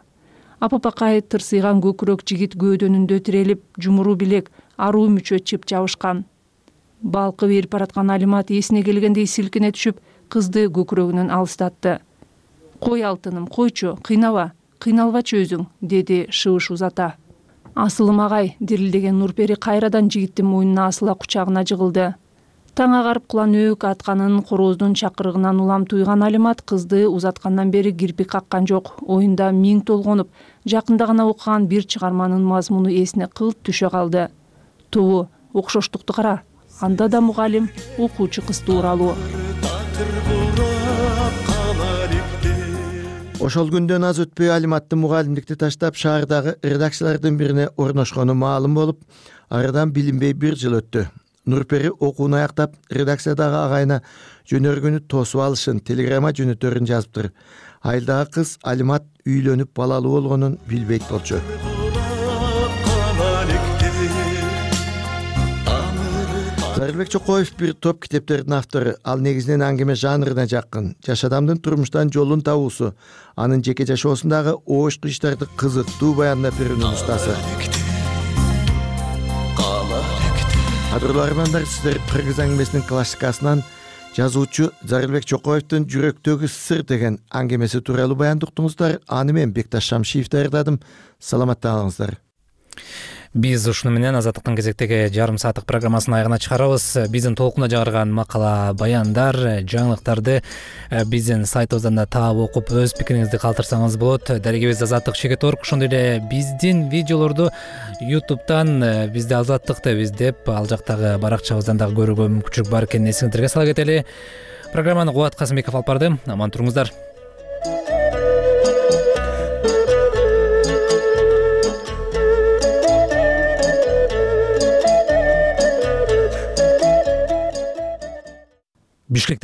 Апапакай тырсыйган көкүрөк жигит көөдөнүндө тирелип, жумуру билек, аруу мүчө чып жабышкан. Балкы берип бараткан Алимат эсине келгендей силкине түшүп, кызды көкүрөгүнөн алыстатты. Кой алтыным, койчу, кыйнала, кыйналбачы өзүң, деди шыбыш узата. Асылым агай, дирилдеген Нурпери кайрадан жигиттин мойнуна асыла кучагына жыгылды. Таң агарып куланөөк атканын корооздун чакырыгынан улам туйган Алимат кызды узаткандан бери кирпик каккан жок. Оюнда миң толгонуп, жакында гана окуган бир чыгарманын мазмуну эсине кылт түшө калды. Тобу, окшоштукту кара. Анда да мугалим, окуучу кыз тууралуу. Ошол күндөн аз өтпөй Алиматтын мугалимдикти таштап, шаардагы редакциялардын бирине орношкону маалым болуп, арадан билинбей бир жыл өттү. Нурпери окууну аяктап, редакциядагы агайына жөнөргөнү тосуп алышын, телеграмма жөнөтөрүн жазыптыр. Айылдагы кыз Алимат үйлөнүп балалуу болгонун билбейт болчу. Зарылбек Чокоев бир топ китептердин автору. Ал негизинен аңгеме жанрына жакын. Жаш адамдын турмуштан жолун табуусу, анын жеке жашоосундагы оошку иштарды кызыктуу баяндап берүүнүн устасы. Адырлуу армандар, сиздер Кыргыз аңгемесинин классикасынан жазуучу Зарылбек Чокоевдин Жүрөктөгү сыр деген аңгемеси тууралуу баянды уктуңуздар. Аны мен Бекташ Шамшиев даярдадым. Саламатта калыңыздар. Биз ушуну менен Азаттыктын кезектеги жарым сааттык программасын аягына чыгарабыз. Биздин толкуна жагырган макала, баяндар, жаңылыктарды биздин сайтыбыздан да таап окуп өз пикириңизди калтырсаңыз болот. Дарегибиз Азаттык.org. Ошондой эле биздин видеолорду YouTube'дан бизде Азаттык деп издеп, ал жактагы баракчабыздан дагы көрүүгө мүмкүнчүлүк бар экенин эсиңиздерге сала кетели. Программаны Кубат Касымбеков алып барды. Аман туруңуздар. Бишкек